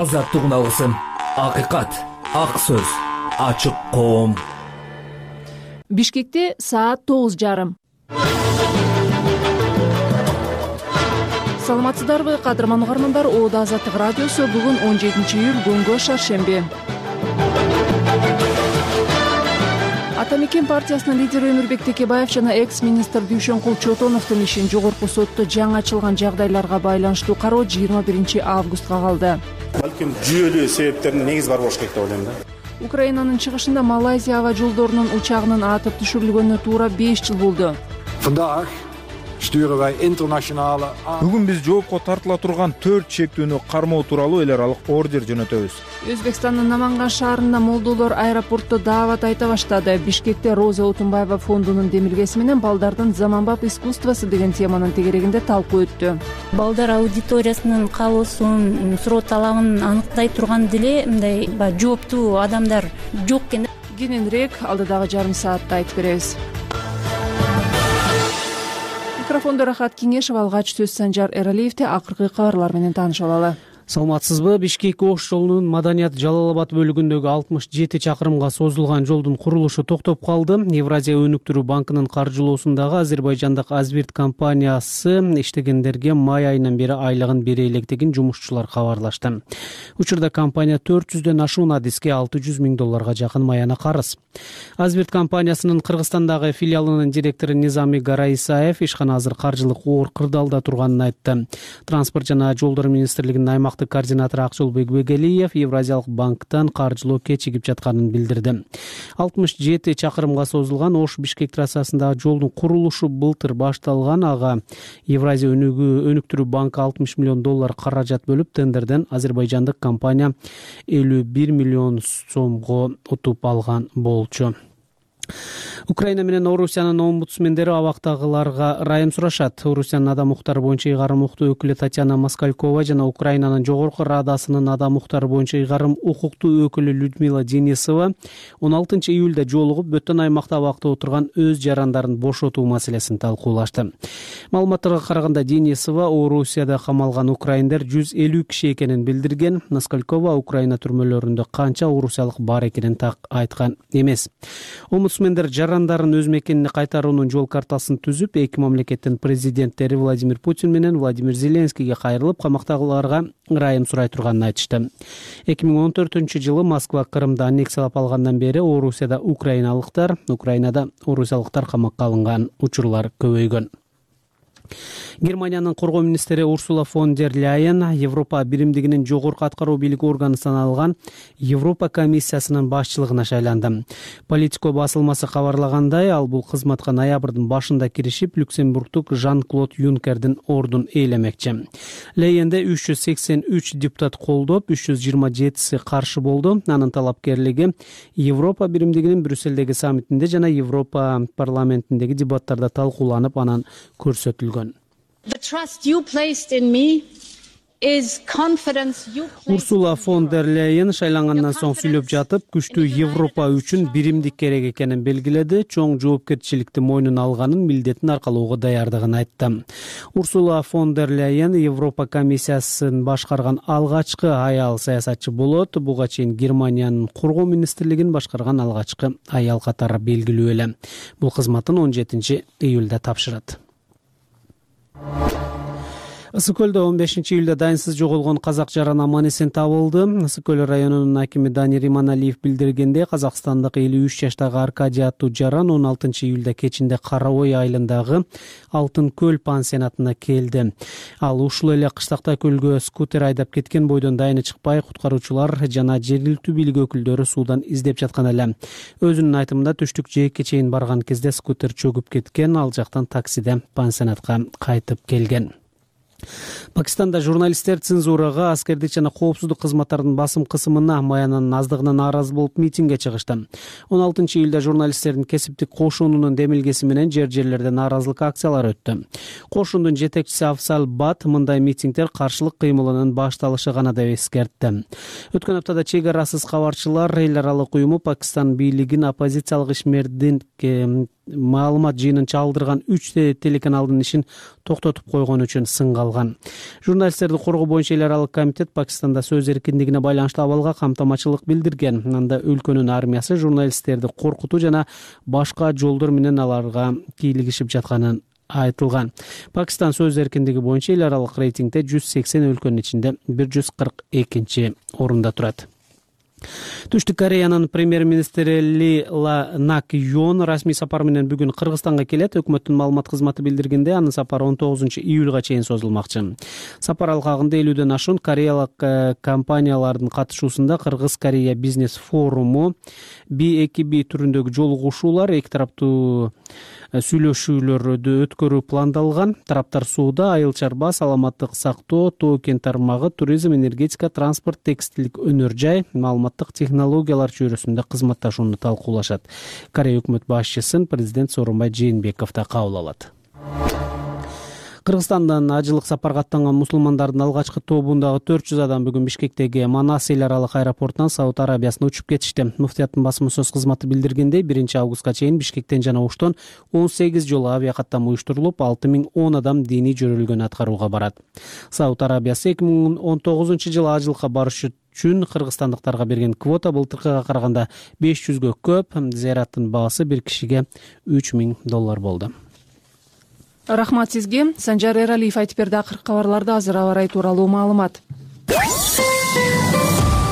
азаттык алгысым, акыйкат, ак сөз, ачык коом. Бишкекте саат 9:30. Саламатсыздарбы, кадырман угармандар? Оода Азаттык радиосу бүгүн 17-июль күнгө шаршемби. Ата мекен партиясынын лидери Өмүрбек Текебаев жана экс-министр Дүйшөнкул Чотоновдун ишин жогорку сотто жаңы ачылган жагдайларга байланыштуу кароо 21 августка калды. Балким жүйөлүү себептердин негизи бар болуш керек деп ойлойм да. Украинанын чыгышында Малайзия аба жолдорунун учагынын атып түшүрүлгөнүнө туура 5 жыл болду. Бүгүн биз жоопко тартыла турган 4 чектүүнү кармоо тууралуу эл аралык ордер жөнөтөбүз. Өзбекстандын Наманган шаарында молдолор аэропортто даават айта баштады. Бишкекте Роза Отунбаева фондунун демилгеси менен балдардын заманбап искусствосу деген теманын тегерегинде талкуу өттү. Балдар аудиториясынын каалоосун, суроо талабын аныктай турган деле мындай жооптуу адамдар жок экен. Кененирээк алдыдагы жарым саатта айтып беребиз. Микрофондо Рахат Кеңешев, алгач сөз Санжар Эралиевде. Акыркы кабарлар менен таанышып алалы. Саламатсызбы? Бишкек-Ош жолунун Маданият Жалал-Абад бөлүгүндөгү 67 чакырымга созулган жолдун курулушу токтоп калды. Евразия өнүктүрүү банкынын каржылоосундагы азербайжандык Азбирт компаниясы иштегендерге май айынан бери айлыгын бере электигин жумушчулар кабарлашты. Учурда компания 400дөн ашуун адиске $600 000 жакын маяна карыз. Азбирт компаниясынын Кыргызстандагы филиалынын директору Низами Гараисаев ишкана азыр каржылык оор кырдаалда турганын айтты. Транспорт жана жолдор министрлигинин аймактык координатору Акжолбек Бегелиев Евразиялык банктан каржылоо кечигип жатканын билдирди. 67 чакырымга созулган Ош-Бишкек трассасындагы жолдун курулушу былтыр башталган. Ага Евразия өнүктүрүү банкы $60 million каражат бөлүп, тендерден азербайжандык компания $51 million утуп алган болчу. Украина менен Орусиянын омбудсмендери абактагыларга райым сурашат. Орусиянын адам укуктары боюнча ыйгарым укуктуу өкүлү Татьяна Москалькова жана Украинанын жогорку радасынын адам укуктары боюнча ыйгарым укуктуу өкүлү Людмила Денисова 16-июлда жолугуп, бөтөн аймакта абакта отурган өз жарандарын бошотуу маселесин талкуулашты. Маалыматтарга караганда, Денисова Орусияда камалган украиндер 150 киши экенин билдирген. Москалькова Украина түрмөлөрүндө канча орусиялык бар экенин так айткан эмес. Омбудсмендер жарандарын өз мекенине кайтаруунун жол картасын түзүп, эки мамлекеттин президенттери Владимир Путин менен Владимир Зеленскийге кайрылып, камактагыларга ырайым сурай турганын айтышты. 2014-жылы Москва Крымды аннексиялап алгандан бери Орусияда украиналыктар, Украинада орусиялыктар камакка алынган учурлар көбөйгөн. Германиянын коргоо министри Урсула фон дер Ляйен Европа биримдигинин жогорку аткаруу бийлик органы саналган Европа комиссиясынын башчылыгына шайланды. Политико басылмасы кабарлагандай, ал бул кызматка ноябрдын башында киришип, Люксембургтук Жан-Клод Юнкердин ордун ээлемекчи. Ляйенде 383 депутат колдоп, 327 каршы болду. Анын талапкерлиги Европа биримдигинин Брюссельдеги саммитинде жана Европа парламентиндеги дебаттарда талкууланып, анан көрсөтүлгөн. Урсула фон дер Ляйен шайлангандан соң сүйлөп жатып, күчтүү Европа үчүн биримдик керек экенин белгиледи, чоң жоопкерчиликти мойнуна алганын, милдетин аркалоого даярдыгын айтты. Урсула фон дер Ляйен Европа комиссиясын башкарган алгачкы аял саясатчы болот. Буга чейин Германиянын коргоо министрлигин башкарган алгачкы аял катары белгилүү эле. Бул кызматын 17-июлда тапшырат. Ысык көлдө 15-июлда дайынсыз жоголгон казак жаран аман-эсен табылды. Ысык көл районунун акими Дани Риманалиев билдиргенде, казакстандык 53 жаштагы Аркадий аттуу жаран 16-июлда кечинде Кара Ой айылындагы Алтын көл пансионатына келди. Ал ушул эле кыштакта көлгө скутер айдап кеткен бойдон дайыны чыкпай, куткаруучулар жана жергиликтүү бийлик өкүлдөрү суудан издеп жаткан эле. Өзүнүн айтымында, түштүк жээкке чейин барган кезде скутер чөгүп кеткен, ал жактан таксиде пансионатка кайтып келген. Пакистанда журналисттер цензурага, аскердик жана коопсуздук кызматтарынын басым кысымына, маянанын аздыгына нааразы болуп митингге чыгышты. 16-июлда журналисттердин кесиптик кошунунун демилгеси менен жерлерде нааразылык акциялары өттү. Кошундун жетекчиси Афзал Бат мындай митингдер каршылык кыймылынын башталышы гана деп эскертти. Өткөн аптада чек арасыз кабарчылар эл аралык уюму Пакистан бийлигин оппозициялык ишмердин маалымат жыйынын чалдырган 3 телеканалдын ишин токтотуп койгон үчүн сынга алган. Журналисттерди коргоо боюнча эл аралык комитет Пакистанда сөз эркиндигине байланыштуу абалга камтамачылык билдирген. Анда өлкөнүн армиясы журналисттерди коркутуу жана башка жолдор менен аларга кийлигишип жатканын айтылган. Пакистан сөз эркиндиги боюнча эл аралык рейтингде 180 өлкөнүн ичинде 142 орунда турат. Түштүк Кореянын премьер-министри Ли Нак Йон расмий сапар менен бүгүн Кыргызстанга келет. Өкмөттүн маалымат кызматы билдиргенде, анын сапары 19-июлга чейин созулмакчы. Сапар алкагында 50ден ашуун кореялык компаниялардын катышуусунда Кыргыз-Корея бизнес форуму, B2B түрүндөгү жолугушуулар, эки тараптуу сүйлөшүүлөрдү өткөрүү пландалган. Тараптар сууда, айыл чарба, саламаттык сактоо, тоо кен тармагы, туризм, энергетика, транспорт, текстилдик өнөр жай, маалыматтык технологиялар чөйрөсүндө кызматташууну талкуулашат. Корея өкмөт башчысын президент Сооронбай Жээнбеков да кабыл алат. Кыргызстандан ажылык сапарга аттанган мусулмандардын алгачкы тобундагы 400 адам бүгүн Бишкектеги Манас эл аралык аэропортунан Сауд Арабиясына учуп кетишти. Муфтияттын басма сөз кызматы билдиргендей, 1-августка чейин Бишкектен жана Оштон 18 жолу авиакаттам уюштурулуп, 6010 адам диний жөрөлгөн аткарууга барат. Сауд Арабиясы 2019-жылы ажылыкка барыш үчүн кыргызстандыктарга берген квота былтыркыга караганда 500гө көп. Зыяраттын баасы бир кишиге $3000 болду. Рахмат сизге. Санжар Эралиев айтып берди акыркы кабарларды. Азыр аба ырайы тууралуу маалымат.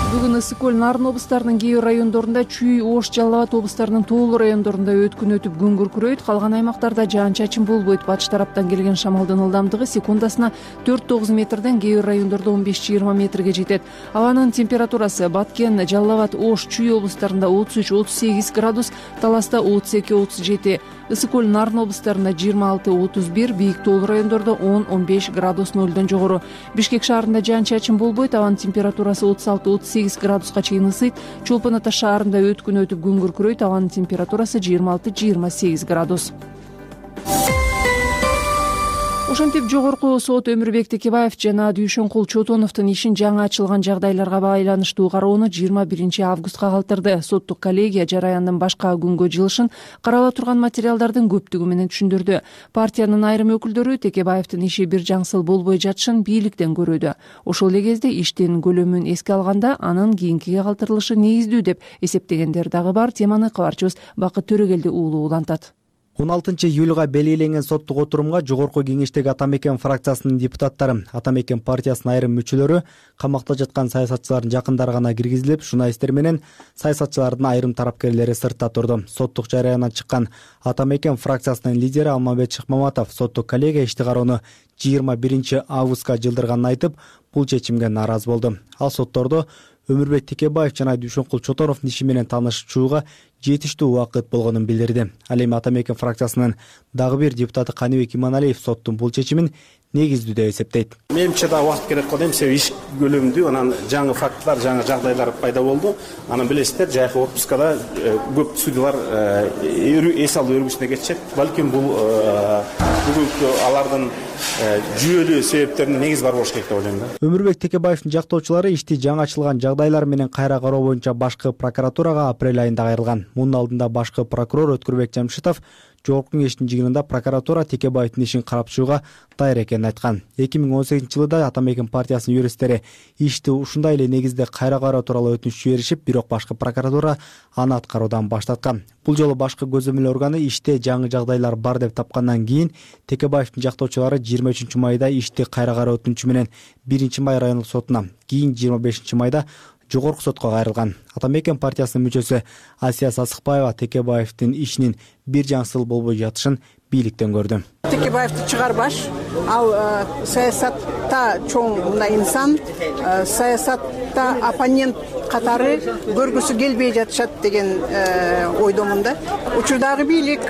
Бүгүн ысык көл, Нарын облустарынын кээ бир райондорунда, Чүй, Ош, Жалал Абад облустарынын тоолуу райондорунда өткүн өтүп күн күркүрөйт. Калган аймактарда жаан-чачын болбойт. Батыш тараптан келген шамалдын ылдамдыгы секундасына 4-9 метрден, кээ бир райондордо 15-20 метрге жетет. Абанын температурасы Баткен, Жалал Абад, Ош, Чүй облустарында 33-38 градус, Таласта 32-37. Ысык көл, Нарын облустарында 26-31, бийик тоолуу райондордо 10-15 градус нөлдөн жогору. Бишкек шаарында жаан-чачын болбойт. Абанын температурасы 36-38 градуска чейин ысыйт. Чолпон Ата шаарында өткүн өтүп күн күркүрөйт. Абанын температурасы 26-28 градус. Ошентип жогорку сот Өмүрбек Текебаев жана Дүйшөнкул Чотоновдун ишин жаңы ачылган жагдайларга байланыштуу кароону 21-августка калтырды. Соттук коллегия жараяндын башка күнгө жылышын карала турган материалдардын көптүгү менен түшүндүрдү. Партиянын айрым өкүлдөрү Текебаевдин иши бир жаңсыл болбой жатышын бийликтен көрүүдө. Ошол эле кезде иштин көлөмүн эске алганда анын кийинкиге калтырылышы негиздүү деп эсептегендер дагы бар. Теманы кабарчыбыз Бакыт Төрөгелди уулу улантат. 16-июлга белгиленген соттук отурумга жогорку кеңештеги Атамекен фракциясынын депутаттары, Атамекен партиясынын айрым мүчөлөрү, камакта жаткан саясатчылардын жакындары гана киргизилип, журналисттер менен саясатчылардын айрым тарапкерлери сыртта турду. Соттук жарыянан чыккан Атамекен фракциясынын лидери Алмамбет Шыкмаматов соттук коллегия ишти кароону 21-августка жылдырганын айтып, бул чечимге нааразы болду. Ал соттордо Өмүрбек Текебаев жана Дүйшөнкул Чотоновдун иши менен таанышуучуга жетиштүү убакыт болгонун билдирди. Ал эми Атамекен фракциясынын дагы бир депутаты Каныбек Иманалиев соттун бул чечимин негиздүү деп эсептейт. Менимче да убакыт керек го дейм, себеби иш көлөмдүү, анан жаңы фактылар, жаңы жагдайлар пайда болду. Анан билесиздер, жайкы отпускада көп судьялар эс алуу өргүсүнө кетишет. Балким бул бүгүнкү алардын жүйөлүү себептеринин негизи бар болуш керек деп ойлойм да. Өмүрбек Текебаевдин жактоочулары ишти жаңы ачылган жагдайлар менен кайра кароо боюнча башкы прокуратурага апрель айында кайрылган. Мунун алдында башкы прокурор Өткүрбек Жамшитов жогорку кеңештин жыйынында прокуратура Текебаевдин ишин карап чыгууга даяр экенин айткан. 2018-жылы Атамекен партиясынын юристтери ишти ушундай эле негизде кайра кароо тууралуу өтүнүч жиберишип, бирок башкы прокуратура аны аткаруудан баш тарткан. Бул жолу башкы көзөмөл органы иште жаңы жагдайлар бар деп тапкандан кийин Текебаевдин жактоочулары 23-майда ишти кайра кароо өтүнүчү менен 1-май райондук сотуна, кийин 25-майда жогорку сотко кайрылган. Атамекен партиясынын мүчөсү Асия Сасыкбаева Текебаевдин ишинин бир жаңсыл болбой жатышын бийликтен көрдү. Текебаевди чыгарбаш, ал саясатта чоң мындай инсан, саясатта оппонент катары көргүсү келбей жатышат деген ойдомун да. Учурдагы бийлик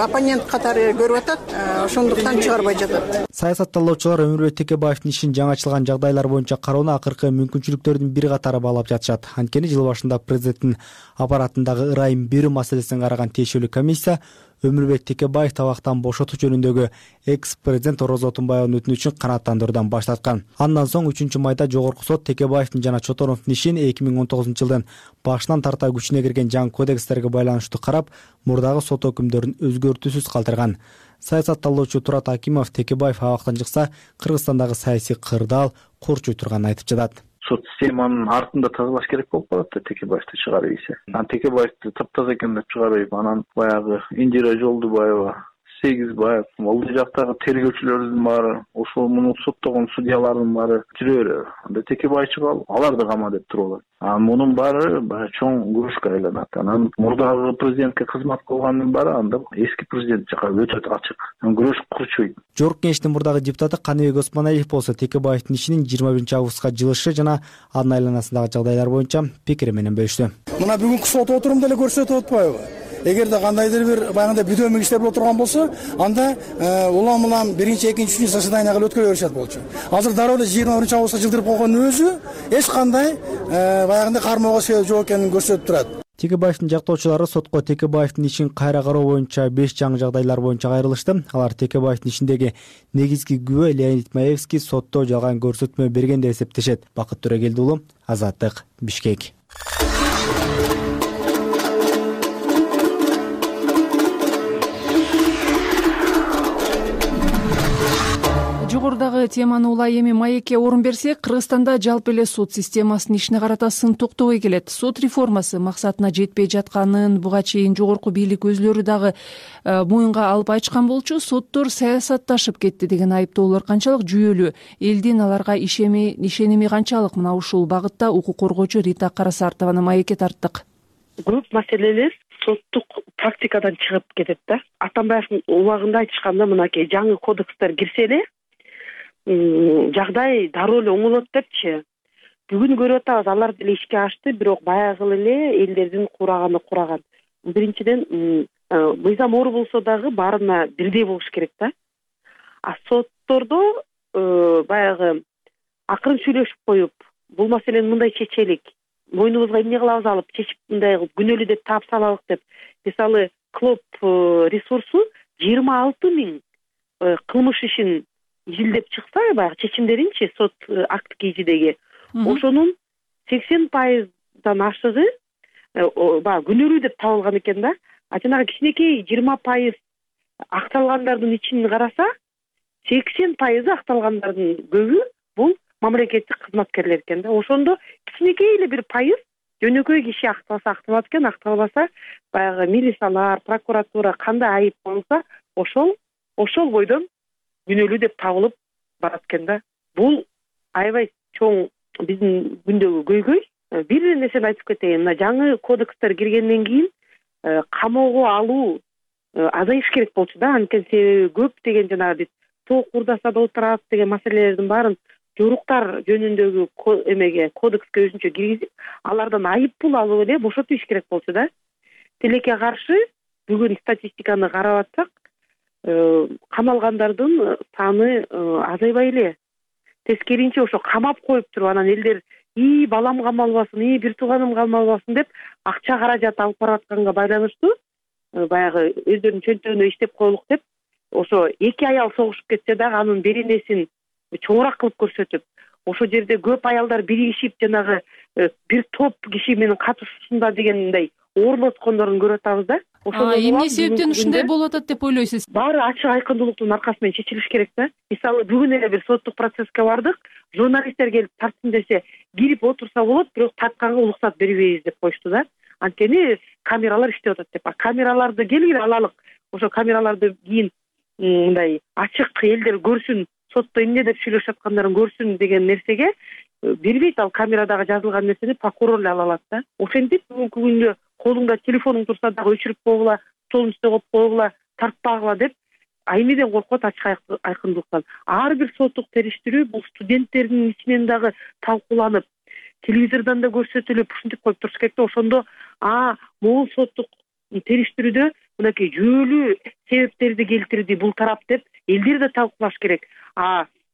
оппонент катары көрүп атат, ошондуктан чыгарбай жатат. Саясат талоочулар Өмүрбек Текебаевдин ишин жаңы ачылган жагдайлар боюнча кароону акыркы мүмкүнчүлүктөрдүн бир катары баалап жатышат. Анткени жыл башында президенттин аппаратындагы ырайым берүү маселесин караган тиешелүү комиссия Өмүрбек Текебаев табактан бошотуу жөнүндөгү экс-президент Орозо Отунбаевдын өтүнүчүн канааттандыруудан баш тарткан. Андан соң 3 майда жогорку сот Текебаевдин жана Чотоновдун ишин 2019-жылдын башынан тарта күчүнө кирген жаңы кодекстерге байланыштуу карап, мурдагы сот өкүмдөрүн өзгөртүүсүз калтырган. Саясат талоочу Турат Акимов Текебаев абактан чыкса, Кыргызстандагы саясий кырдаал курчуй турганын айтып жатат. Сот системанын артында тазалаш керек болуп калат да Текебаевди чыгарып ийсе. Текебаевди таптаза экен деп чыгарып, анан баягы Индира Жолдубаева, Сегизбаев, ал жактагы тергөөчүлөрдүн баары, ошол муну соттогон судьялардын баары жүрө берет. Анда Текебаев чыгып аларды кама деп туруп алат. Мунун баары баягы чоң күрөшкө айланат. Анан мурдагы президентке кызмат кылгандын баары анда эски президент жака өтө ачык. Күрөш курчуйт. Жогорку кеңештин мурдагы депутаты Каныбек Осмоналиев болсо Текебаевдин ишинин 21-августка жылышы жана анын айланасындагы жагдайлар боюнча пикири менен бөлүштү. Мына бүгүнкү сот отурумду эле көрсөтүп атпайбы? Эгерде кандайдыр бир баягындай бүдөмүк иштер боло турган болсо, анда улам биринчи, экинчи, үчүнчү заседанияга өткөрө беришет болчу. Азыр дароо эле 21-августка жылдырып койгондун өзү эч кандай баягындай кармоого себеп жок экенин көрсөтүп турат. Текебаевдин жактоочулары сотко Текебаевдин ишин кайра кароо боюнча 5 жаңы жагдайлар боюнча кайрылышты. Алар Текебаевдин ишиндеги негизги күбө Леонид Маевский сотто жалган көрсөтмө берген деп эсептешет. Бакыт Төрөгелди уулу, Азаттык, Бишкек. Жогорудагы теманы улай эми маекке орун берсек, Кыргызстанда жалпы эле сот системасынын ишине карата сын токтобой келет. Сот реформасы максатына жетпей жатканын буга чейин жогорку бийлик өзлөрү дагы моюнга алып айтышкан болчу. Соттор саясатташып кетти деген айыптоолор канчалык жүйөлүү, элдин аларга ишеними канчалык? Мына ушул багытта укук коргоочу Рита Карасартованы маекке тарттык. Көп маселелер соттук практикадан чыгып кетет да. Атамбаевдин убагында айтышканда, мынакей жаңы кодекстер кирсе эле жагдай дароо эле оңолот депчи. Бүгүн көрүп атабыз, алар деле ишке ашты, бирок баягы эле элдердин кураган. Биринчиден, мыйзам оор болсо дагы баарына бирдей болуш керек да. Соттордо баягы акырын сүйлөшүп коюп, бул маселени мындай чечелик, мойнубузга эмне кылабыз алып, чечип мындай күнөөлүү деп таап салалык деп. Мисалы, Клоп ресурсу 26 000 кылмыш ишин изилдеп чыкса, баягы чечимдеринчи сот акт кийжидеги, ошонун 80% ашыгы баягы күнөөлүү деп табылган экен да. Жанагы кичинекей 20% акталгандардын ичин караса, 80% акталгандардын көбү бул мамлекеттик кызматкерлер экен да. Ошондо кичинекей эле бир пайыз жөнөкөй киши акталса акталат экен, акталбаса баягы милициялар, прокуратура кандай айып болсо, ошол бойдон күнөөлүү деп табылып барат экен да. Бул аябай чоң биздин күндөгү көйгөй. Бир нерсени айтып кетейин. Мына жаңы кодекстер киргенден кийин камоого алуу азайыш керек болчу да. Анткени себеби көп деген жанагы биз тоок урдасада отурат деген маселелердин баарын жоруктар жөнүндөгү эмеге кодекске өзүнчө киргизип, алардан айып пул алып эле бошотуу иш керек болчу да. Тилекке каршы бүгүн статистиканы карап атсак, камалгандардын саны азайбай эле. Тескеринче ошо камап коюп туруп, анан элдер балам камалбасын, бир тууганым камалбасын деп акча каражат алып баратканга байланыштуу баягы өздөрүнүн чөнтөгүнө иштеп коелук деп, ошо 2 аял согушуп кетсе дагы анын беренесин чоңураак кылып көрсөтүп, ошо жерде көп аялдар биригишип жанагы бир топ киши менен катышуусунда дегендей оорлоткондорун көрүп атабыз да. Эмне себептен ушундай болуп атат деп ойлойсуз? Баары ачык айкындуулуктун аркасы менен чечилиш керек да. Мисалы, бүгүн эле бир соттук процесске бардык, журналисттер келип тартсын десе, кирип отурса болот, бирок тартканга уруксат бербейбиз деп коюшту да. Анткени камералар иштеп атат деп. Камераларды келгиле алалык. Ошо камераларды кийин мындай ачык элдер көрсүн, сотто эмне деп сүйлөшүп аткандарын көрсүн деген нерсеге бербейт. Ал камерадагы жазылган нерсени прокурор эле ала алат да. Ошентип бүгүнкү күндө колуңда телефонуң турса дагы өчүрүп койгула, столдун үстүнө коюп койгула, тартпагыла деп эмнеден коркот? Ачык айкындуулуктан. Ар бир соттук териштирүү бул студенттердин ичинен дагы талкууланып, телевизордон да көрсөтүлүп, ушинтип коюп туруш керек да. Ошондо могул соттук териштирүүдө мынакей жүйөлүү себептерди келтирди бул тарап деп элдер да талкуулаш керек.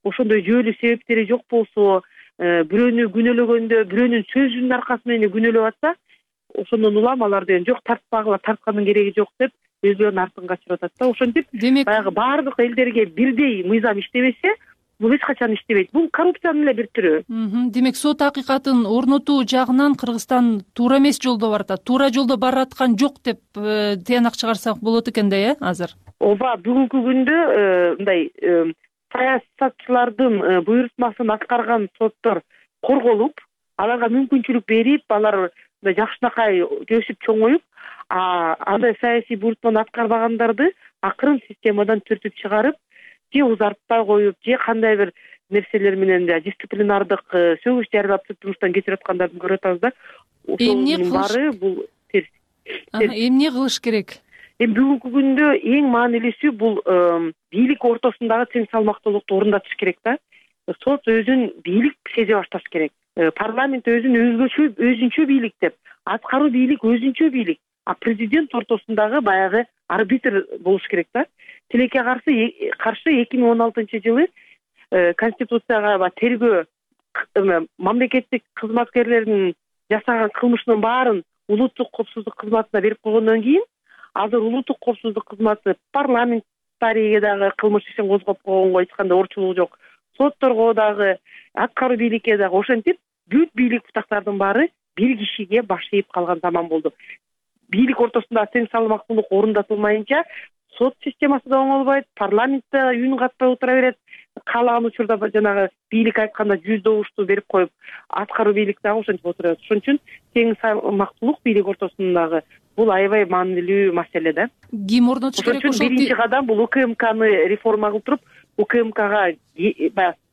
Ошондой жүйөлүү себептери жок болсо, бирөөнү күнөөлөгөндө, бирөөнүн сөзүнүн аркасы менен күнөөлөп атса, ошондон улам алар деген жок, тартпагыла, тарткандын кереги жок деп өзүлөрүн артын качырып атат да. Ошентип демек баягы баардык элдерге бирдей мыйзам иштебесе, бул эч качан иштебейт. Бул коррупциянын эле бир түрү. Демек сот акыйкатын орнотуу жагынан Кыргызстан туура эмес жолдо баратат, туура жолдо бараткан жок деп тыянак чыгарсак болот экен да, азыр. Ооба, бүгүнкү күндө мындай саясатчылардын буйрутмасын аткарган соттор корголуп, аларга мүмкүнчүлүк берип, алар жакшынакай өсүп чоңоюп, андай саясий буйрутманы аткарбагандарды акырын системадан түртүп чыгарып, же узартпай коюп, же кандай бир нерселер менен дисциплинардык сөгүш жарыялап турмуштан кечирип аткандарды көрүп атабыз да. Ошонун баары бул терс. Эмне кылыш керек? Бүгүнкү күндө эң маанилүүсү бул бийлик ортосундагы тең салмактуулукту орундатыш керек да. Сот өзүн бийлик сезе башташ керек. Парламент өзүн өзүнчө бийлик деп, аткаруу бийлик өзүнчө бийлик, а президент ортосундагы баягы арбитр болуш керек да. Тилекке каршы 2016-жылы Конституцияга тергөө мамлекеттик кызматкерлердин жасаган кылмышынын баарын улуттук коопсуздук кызматына берип койгондон кийин, азыр улуттук коопсуздук кызматы парламентарийге дагы кылмыш ишин козгоп койгонго эч кандай орчулук жок. Сотторго дагы, аткаруу бийликке дагы. Ошентип, бүт бийлик бутактардын баары бир кишиге баш ийип калган заман болду. Бийлик ортосунда тең салмактуулук орундатылмайынча, сот системасы да оңолбойт, парламент да үнүн катпай отура берет. Каалаган учурда жанагы бийлик айтканда 100 добушту берип коюп, аткаруу бийлик дагы ошентип отура берет. Ошон үчүн тең салмактуулук бийлик ортосундагы бул аябай маанилүү маселе да. Ким орнотуш керек? Ошон үчүн биринчи кадам бул УКМКны реформа кылтырып, УКМКга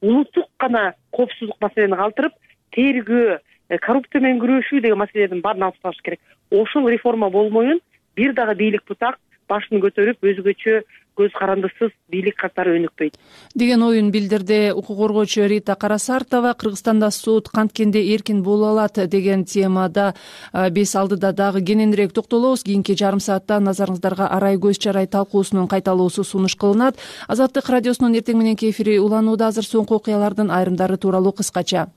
улуттук гана коопсуздук маселени калтырып, тергөө, коррупция менен күрөшүү деген маселелердин баарын алып ташташ керек. Ошол реформа болмоюн бир дагы бийлик бутак башын көтөрүп, өзгөчө көз карандысыз бийлик катары өнүкпөйт деген оюн билдирди укук коргоочу Рита Карасартова. Кыргызстанда сот канткенде эркин боло алат деген темада биз алдыда дагы кененирээк токтолобуз. Кийинки жарым саатта назарыңыздарга арай көз чарай талкуусунун кайталоосу сунуш кылынат. Азаттык радиосунун эртең мененки эфири уланууда. Азыр соңку окуялардын айрымдары тууралуу кыскача.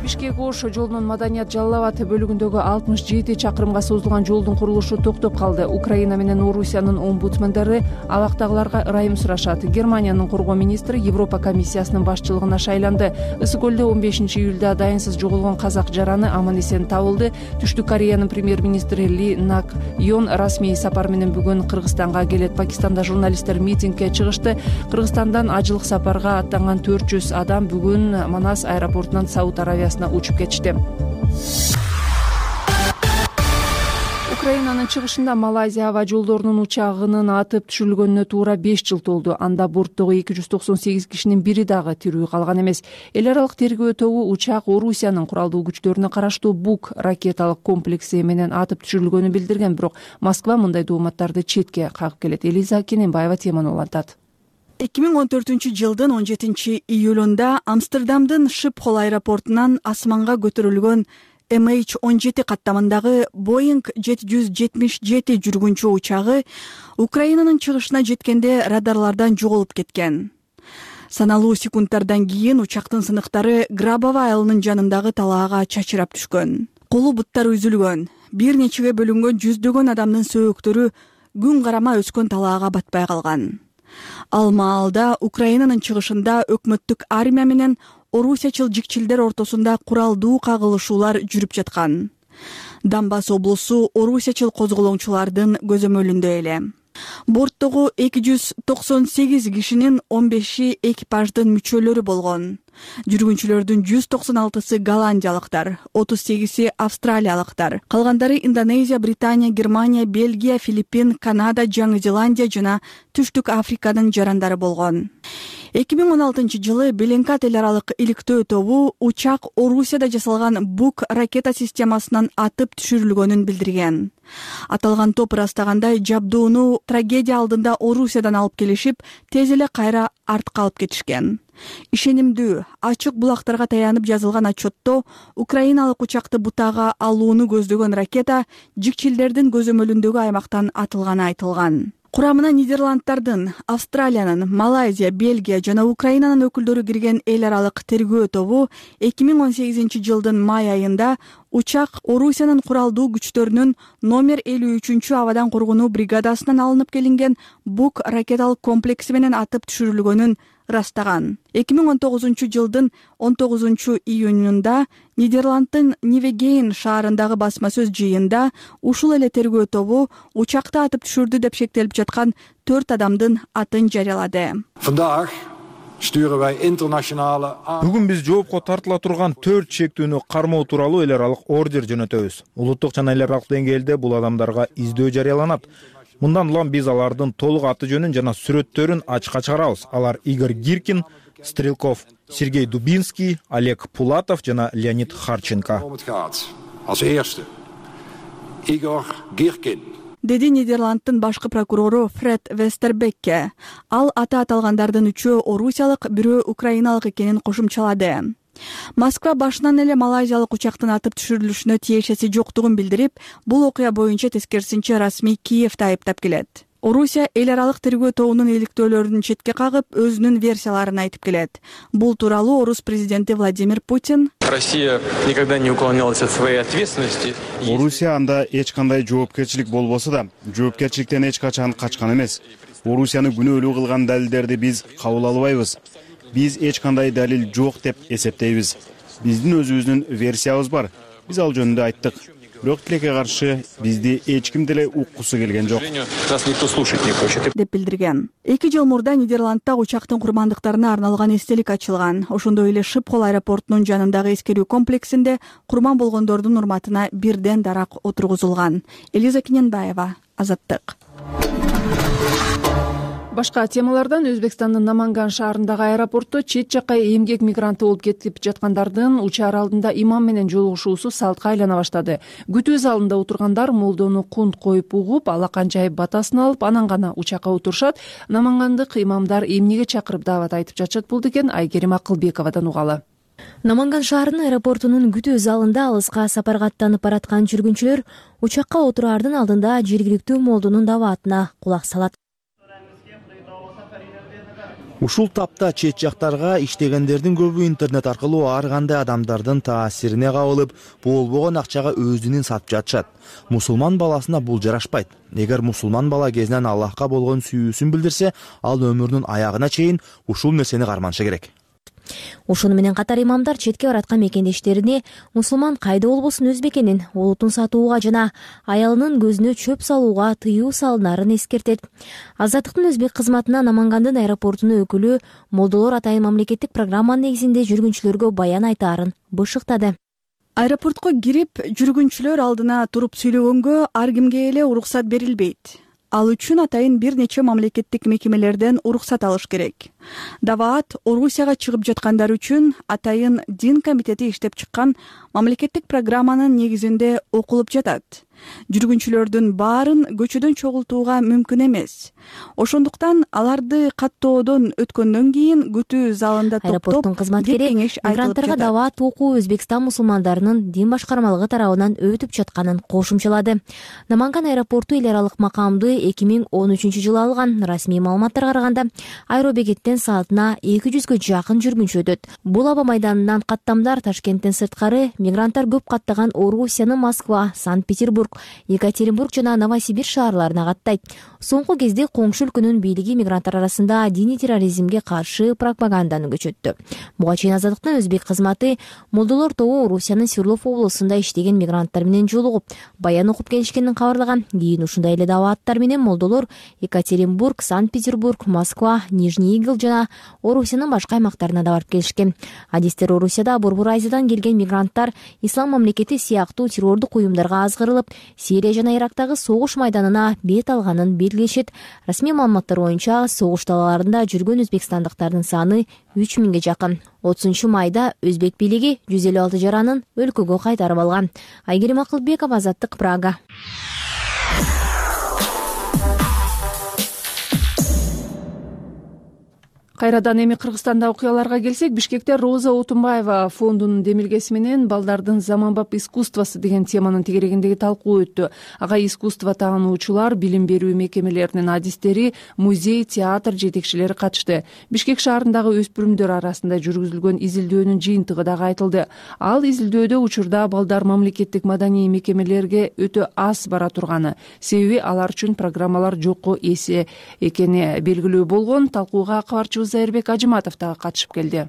Бишкек-Ош жолунун Маданият Жалал Абад бөлүгүндөгү 67 чакырымга созулган жолдун курулушу токтоп калды. Украина менен Орусиянын омбудсмендери абактагыларга ырайым сурашат. Германиянын коргоо министри Европа комиссиясынын башчылыгына шайланды. Ысык көлдө 15-июлда дайынсыз жоголгон казак жараны аман-эсен табылды. Түштүк Кореянын премьер-министри Ли Нак Йон расмий сапар менен бүгүн Кыргызстанга келет. Пакистанда журналисттер митингге чыгышты. Кыргызстандан ажылык сапарга аттанган 400 адам бүгүн Манас аэропортунан Сауд Аравиясына учуп кетишти. Украинанын чыгышында Малайзия аба жолдорунун учагынын атып түшүрүлгөнүнө туура 5 жыл толду. Анда борттогу 298 кишинин бири дагы тирүү калган эмес. Эл аралык тергөө тобу учак Орусиянын куралдуу күчтөрүнө караштуу Бук ракеталык комплекси менен атып түшүрүлгөнүн билдирген, бирок Москва мындай дооматтарды четке кагып келет. Элиза Кененбаева теманы улантат. 2014-жылдын 17-июлунда Амстердамдын Шипхол аэропортунан асманга көтөрүлгөн MH17 каттамындагы Boeing 777 жүргүнчү учагы Украинанын чыгышына жеткенде радарлардан жоголуп кеткен. Саналуу секундтардан кийин учактын сыныктары Грабово айылынын жанындагы талаага чачырап түшкөн. Колу буттары үзүлгөн, бир нечеге бөлүнгөн жүздөгөн адамдын сөөктөрү күн карама өскөн талаага батпай калган. Ал маалда Украинанын чыгышында өкмөттүк армия менен орусиячыл жикчилдер ортосунда куралдуу кагылышуулар жүрүп жаткан. Донбасс облусу орусиячыл козголоңчулардын көзөмөлүндө эле. Борттогу 298 кишинин 15и экипаждын мүчөлөрү болгон. Жүргүнчүлөрдүн 196-сы голландиялыктар, 38-и австралиялыктар, калгандары Индонезия, Британия, Германия, Бельгия, Филиппин, Канада, Жаңы Зеландия жана Түштүк Африканын жарандары болгон. 2016-жылы Беленкат эл аралык иликтөө тобу учак Орусияда жасалган Бук ракета системасынан атып түшүрүлгөнүн билдирген. Аталган топ ырастагандай жабдууну трагедия алдында Орусиядан алып келишип, тез эле кайра артка алып кетишкен. Ишенимдүү, ачык булактарга таянып жазылган отчетто украиналык учакты бутага алууну көздөгөн ракета жикчилдердин көзөмөлүндөгү аймактан атылганы айтылган. Курамына Нидерланддардын, Австралиянын, Малайзия, Бельгия жана Украинанын өкүлдөрү кирген эл аралык тергөө тобу 2018 жылдын май айында учак Орусиянын куралдуу күчтөрүнүн номер 53 абадан коргонуу бригадасынан алынып келинген Бук ракеталык комплекси менен атып түшүрүлгөнүн ырастаган. 2019 жылдын 19 июнунда Нидерланддын Нивегейн шаарындагы басма сөз жыйында ушул эле тергөө тобу учакты атып түшүрдү деп шектелип жаткан 4 адамдын атын жарыялады. Бүгүн биз жоопко тартыла турган 4 чектүүнү кармоо тууралуу эл аралык ордер жөнөтөбүз. Улуттук жана эл аралык деңгээлде бул адамдарга издөө жарыяланат. Мындан улам биз алардын толук аты жөнүн жана сүрөттөрүн ачыкка чыгарабыз. Алар Игорь Гиркин, Стрелков Сергей Дубинский, Олег Пулатов жана Леонид Харченко. Деди Нидерланддын башкы прокурору Фред Вестербекке. Ал аты аталгандардын 3-өө орусиялык, 1-өө украиналык экенин кошумчалады. Москва башынан эле малайзиялык учактын атып түшүрүлүшүнө тиешеси жоктугун билдирип, бул окуя боюнча тескерисинче расмий Киевди айыптап келет. Орусия эл аралык тергөө тобунун иликтөөлөрүн четке кагып, өзүнүн версияларын айтып келет. Бул тууралуу орус президенти Владимир Путин Россия никогда не уклонялась от своей ответственности. Орусия анда эч кандай жоопкерчилик болбосо да, жоопкерчиликтен эч качан качкан эмес. Орусияны күнөөлүү кылган далилдерди биз кабыл албайбыз. Биз эч кандай далил жок деп эсептейбиз. Биздин өзүбүздүн версиябыз бар. Биз ал жөнүндө айттык. Бирок тилекке каршы бизди эч ким деле уккусу келген жок. Нас никто слушать не хочет. Деп билдирген. 2 жыл мурда Нидерландда учактын курмандыктарына арналган эстелик ачылган. Ошондой эле Шипхол аэропортунун жанындагы эскерүү комплексинде курман болгондордун урматына бирден дарак отургузулган. Элиза Киненбаева, Азаттык. Башка темалардан Өзбекстандын Наманган шаарындагы аэропортто чет жакка эмгек мигранты болуп кетип жаткандардын учаар алдында имам менен жолугушуусу салтка айлана баштады. Күтүү залында отургандар молдону кунт коюп угуп, алакан жайып батасын алып, анан гана учакка отурушат. Намангандык имамдар эмнеге чакырып даават айтып жатышат болду экен, Айгерим Акылбековадан угалы. Наманган шаарынын аэропортунун күтүү залында алыска сапарга аттанып бараткан жүргүнчүлөр учакка отураардын алдында жергиликтүү молдонун дааватына кулак салат. Ушул тапта чет жактарга иштегендердин көбү интернет аркылуу ар кандай адамдардын таасирине кабылып, болбогон акчага өзүнүн сатып жатышат. Мусулман баласына бул жарашпайт. Эгер мусулман бала кезинен Аллахка болгон сүйүүсүн билдирсе, ал өмүрүнүн аягына чейин ушул нерсени карманышы керек. Ошону менен катар имамдар четке бараткан мекендештерине мусулман кайда болбосун өз бекенин улутун сатууга жана аялынын көзүнө чөп салууга тыюу салынарын эскертет. Азаттыктын өзбек кызматына Намангандын аэропортунун өкүлү молдолор атайын мамлекеттик программанын негизинде жүргүнчүлөргө баян айтаарын бышыктады. Аэропортко кирип, жүргүнчүлөр алдына туруп сүйлөгөнгө ар кимге эле уруксат берилбейт. Ал үчүн атайын бир нече мамлекеттик мекемелерден уруксат алыш керек. Даават Орусияга чыгып жаткандар үчүн атайын дин комитети иштеп чыккан мамлекеттик программанын негизинде окулуп жатат. Жүргүнчүлөрдүн баарын көчөдөн чогултууга мүмкүн эмес. Ошондуктан аларды каттоодон өткөндөн кийин күтүү залында топтоп, аэропорттун кызматкери мигранттарга даават окуу Өзбекстан мусулмандарынын дин башкармалыгы тарабынан өтүп жатканын кошумчалады. Наманган аэропорту эл аралык макамды 2013 жылы алган. Расмий маалыматтарга караганда аэробекеттен саатына 200гө жакын жүргүнчү өтөт. Бул аба майданынан каттамдар Ташкенттен сырткары мигранттар көп каттаган Орусиянын Москва, Санкт-Петербург, Екатеринбург жана Новосибирск шаарларына каттайт. Соңку кезде коңшу өлкөнүн бийлиги мигранттар арасында диний терроризмге каршы пропаганданы көчөттү. Буга чейин Азаттыктын өзбек кызматы молдолор тобу Орусиянын Свердлов облусунда иштеген мигранттар менен жолугуп, баян окуп келишкенин кабарлаган. Кийин ушундай эле дааваттар менен молдолор Екатеринбург, Санкт-Петербург, Москва, Нижний Игл жана Орусиянын башка аймактарына да барып келишкен. Адистер Орусияда Борбор Азиядан келген мигранттар ислам мамлекети сыяктуу террордук уюмдарга азгырылып, Сирия жана Ирактагы согуш майданына бет алганын белгилешет. Расмий маалыматтар боюнча согуш талааларында жүргөн өзбекстандыктардын саны 3000ге жакын. 30 майда өзбек бийлиги 156 жаранын өлкөгө кайтарып алган. Айгерим Акылбекова, Азаттык, Прага. Кайрадан эми Кыргызстанда окуяларга келсек, Бишкекте Роза Отунбаева фондунун демилгеси менен балдардын заманбап искусствосу деген теманын тегерегиндеги талкуу өттү. Ага искусство таануучулар, билим берүү мекемелеринин адистери, музей, театр жетекчилери катышты. Бишкек шаарындагы өспүрүмдөр арасында жүргүзүлгөн изилдөөнүн жыйынтыгы дагы айтылды. Ал изилдөөдө учурда балдар мамлекеттик маданий мекемелерге өтө аз бара турганы, себеби алар үчүн программалар жокко эсе экени белгилүү болгон. Талкууга кабарчыбыз Айырбек Ажыматов дагы катышып келди.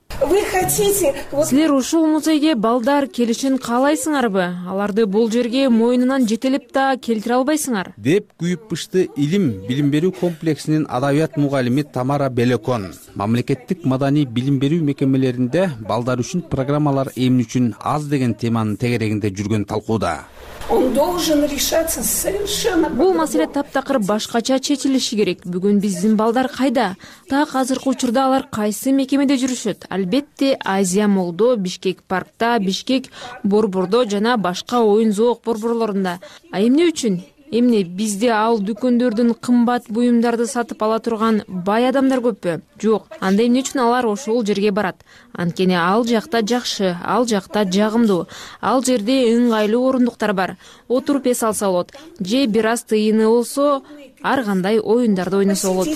Силер ушул музейге балдар келишин каалайсыңарбы? Аларды бул жерге мойнунан жетелеп да келтире албайсыңар? Деп күйүп пышты билим берүү комплексинин адабият мугалими Тамара Белекон. Мамлекеттик маданий билим берүү мекемелеринде балдар үчүн программалар эмне үчүн аз деген теманын тегерегинде жүргөн талкууда. Бул маселе таптакыр башкача чечилиши керек. Бүгүн биздин балдар кайда? Так азыркы учурда алар кайсы мекемеде жүрүшөт? Албетте Азия Молдо, Бишкек паркта, Бишкек борбордо жана башка оюн зоок борборлорунда. А эмне үчүн? Эмне бизде ал дүкөндөрдүн кымбат буюмдарды сатып ала турган бай адамдар көппү? Жок. Анда эмне үчүн алар ошол жерге барат? Анткени ал жакта жакшы, ал жакта жагымдуу. Ал жерде ыңгайлуу орундуктар бар. Отуруп эс алса болот. Же бир аз тыйыны болсо, ар кандай оюндарды ойносо болот.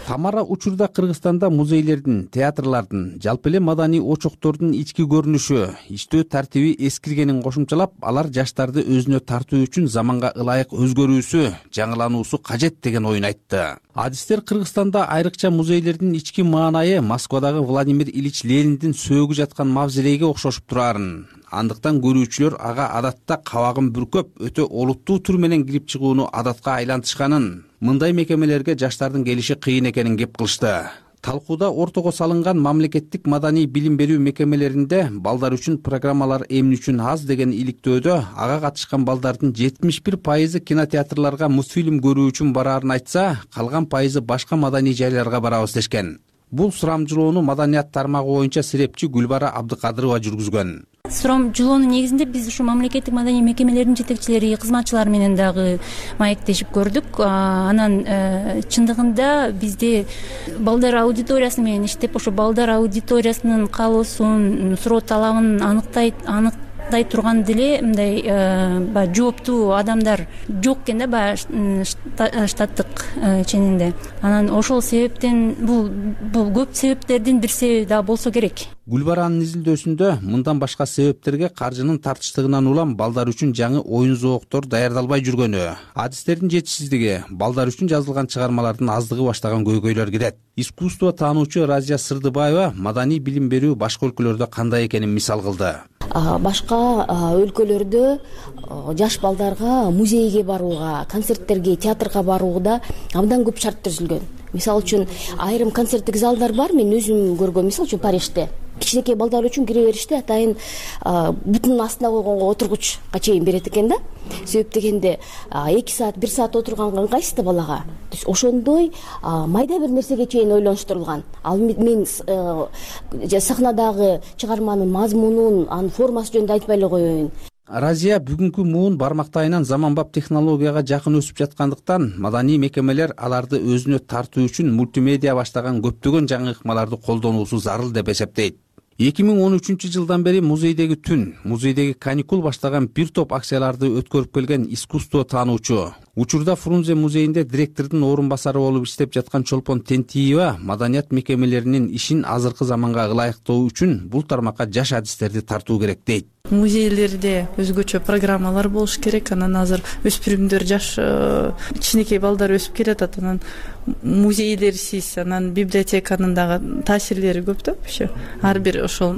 Тамара учурда Кыргызстанда музейлердин, театрлардын, жалпы эле маданий очоктордун ички көрүнүшү, иштөө тартиби эскиргенин кошумчалап, алар жаштарды өзүнө тартуу үчүн заманга ылайык өзгөрүүсү, жаңылануусу кажет деген оюн айтты. Адистер Кыргызстанда айрыкча музейлердин ички маанайы Москвадагы Владимир Ильич Лениндин сөөгү жаткан мавзолейге окшошуп турарын. Андыктан көрүүчүлөр ага адатта кабагын бүркөп, өтө олуттуу түр менен кирип чыгууну адатка айлантышканын, мындай мекемелерге жаштардын келиши кыйын экенин кеп кылышты. Талкууда ортого салынган мамлекеттик маданий билим берүү мекемелеринде балдар үчүн программалар эмне үчүн аз деген иликтөөдө ага катышкан балдардын 71% кинотеатрларга мультфильм көрүү үчүн бараарын айтса, калган пайызы башка маданий жайларга барабыз дешкен. Бул сурамжылоону маданият тармагы боюнча серепчи Гүлбара Абдыкадырова жүргүзгөн. Сурамжылоонун негизинде биз ушу мамлекеттик маданий мекемелердин жетекчилери, кызматчылары менен дагы маектешип көрдүк. Анан чындыгында бизде балдар аудиториясы менен иштеп, ошо балдар аудиториясынын каалоосун, суроо талабын аныктай турган деле мындай баягы жооптуу адамдар жок экен да, баягы штаттык ченинде. Анан ошол себептен бул көп себептердин бир себеби да болсо керек. Гүлбаранын изилдөөсүндө мындан башка себептерге каржынын тартыштыгынан улам балдар үчүн жаңы оюн зооктор даярдалбай жүргөнү, адистердин жетишсиздиги, балдар үчүн жазылган чыгармалардын аздыгы баштаган көйгөйлөр кирет. Искусство таануучу Разия Сырдыбаева маданий билим берүү башка өлкөлөрдө кандай экенин мисал кылды. Башка өлкөлөрдө жаш балдарга музейге барууга, концерттерге, театрга барууда абдан көп шарт түзүлгөн. Мисалы үчүн айрым концерттик залдар бар, мен өзүм көргөм. Мисалы үчүн Парижде кичинекей балдар үчүн кире бериште атайын бутунун астына койгонго отургучка чейин берет экен да. Себеп дегенде 2 саат, 1 саат отурганга ыңгайсыз да балага. Ошондой майда бир нерсеге чейин ойлонуштурулган. Ал мен сахнадагы чыгарманын мазмунун, анын формасы жөнүндө айтпай эле коеюн. Разия бүгүнкү муун бармактайынан заманбап технологияга жакын өсүп жаткандыктан маданий мекемелер аларды өзүнө тартуу үчүн мультимедиа баштаган көптөгөн жаңы ыкмаларды колдонуусу зарыл деп эсептейт. 2013-жылдан бери музейдеги түн, музейдеги каникул баштаган бир топ акцияларды өткөрүп келген искусство таануучу. Учурда Фрунзе музейинде директордун орун басары болуп иштеп жаткан Чолпон Тентиева маданият мекемелеринин ишин азыркы заманга ылайыктоо үчүн бул тармакка жаш адистерди тартуу керек дейт. Музейлерде өзгөчө программалар болуш керек. Анан азыр өспүрүмдөр, жаш кичинекей балдар өсүп келатат. Анан музейлерсиз, анан библиотеканын дагы таасирлери көп да. Ар бир ошол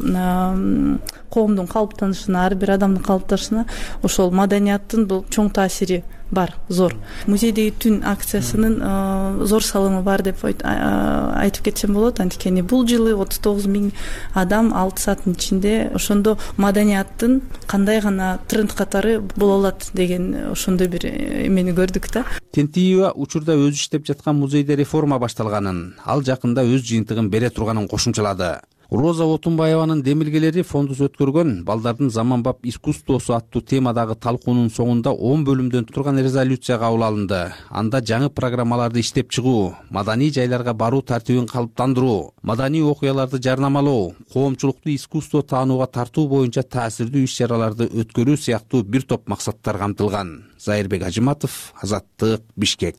коомдун калыптанышына, ар бир адамдын калыптанышына ошол маданияттын бул чоң таасири бар, зор. Музейдеги түн акциясынын зор салымы бар деп айтып кетсем болот. Анткени бул жылы 39 000 адам 6 сааттын ичинде ошондо маданияттын кандай гана тренд катары боло алат деген ошондой бир эмени көрдүк да. Тентиева учурда өзү иштеп жаткан музейде реформа башталганын, ал жакында өз жыйынтыгын бере турганын кошумчалады. Роза Отунбаеванын демилгелери фондус өткөргөн балдардын заманбап искусствосу аттуу темадагы талкуунун соңунда 10 бөлүмдөн турган резолюция кабыл алынды. Анда жаңы программаларды иштеп чыгуу, маданий жайларга баруу тартибин калыптандыруу, маданий окуяларды жарнамалоо, коомчулукту искусство таанууга тартуу боюнча таасирдүү иш-чараларды өткөрүү сыяктуу бир топ максаттар камтылган. Зайырбек Ажыматов, Азаттык, Бишкек.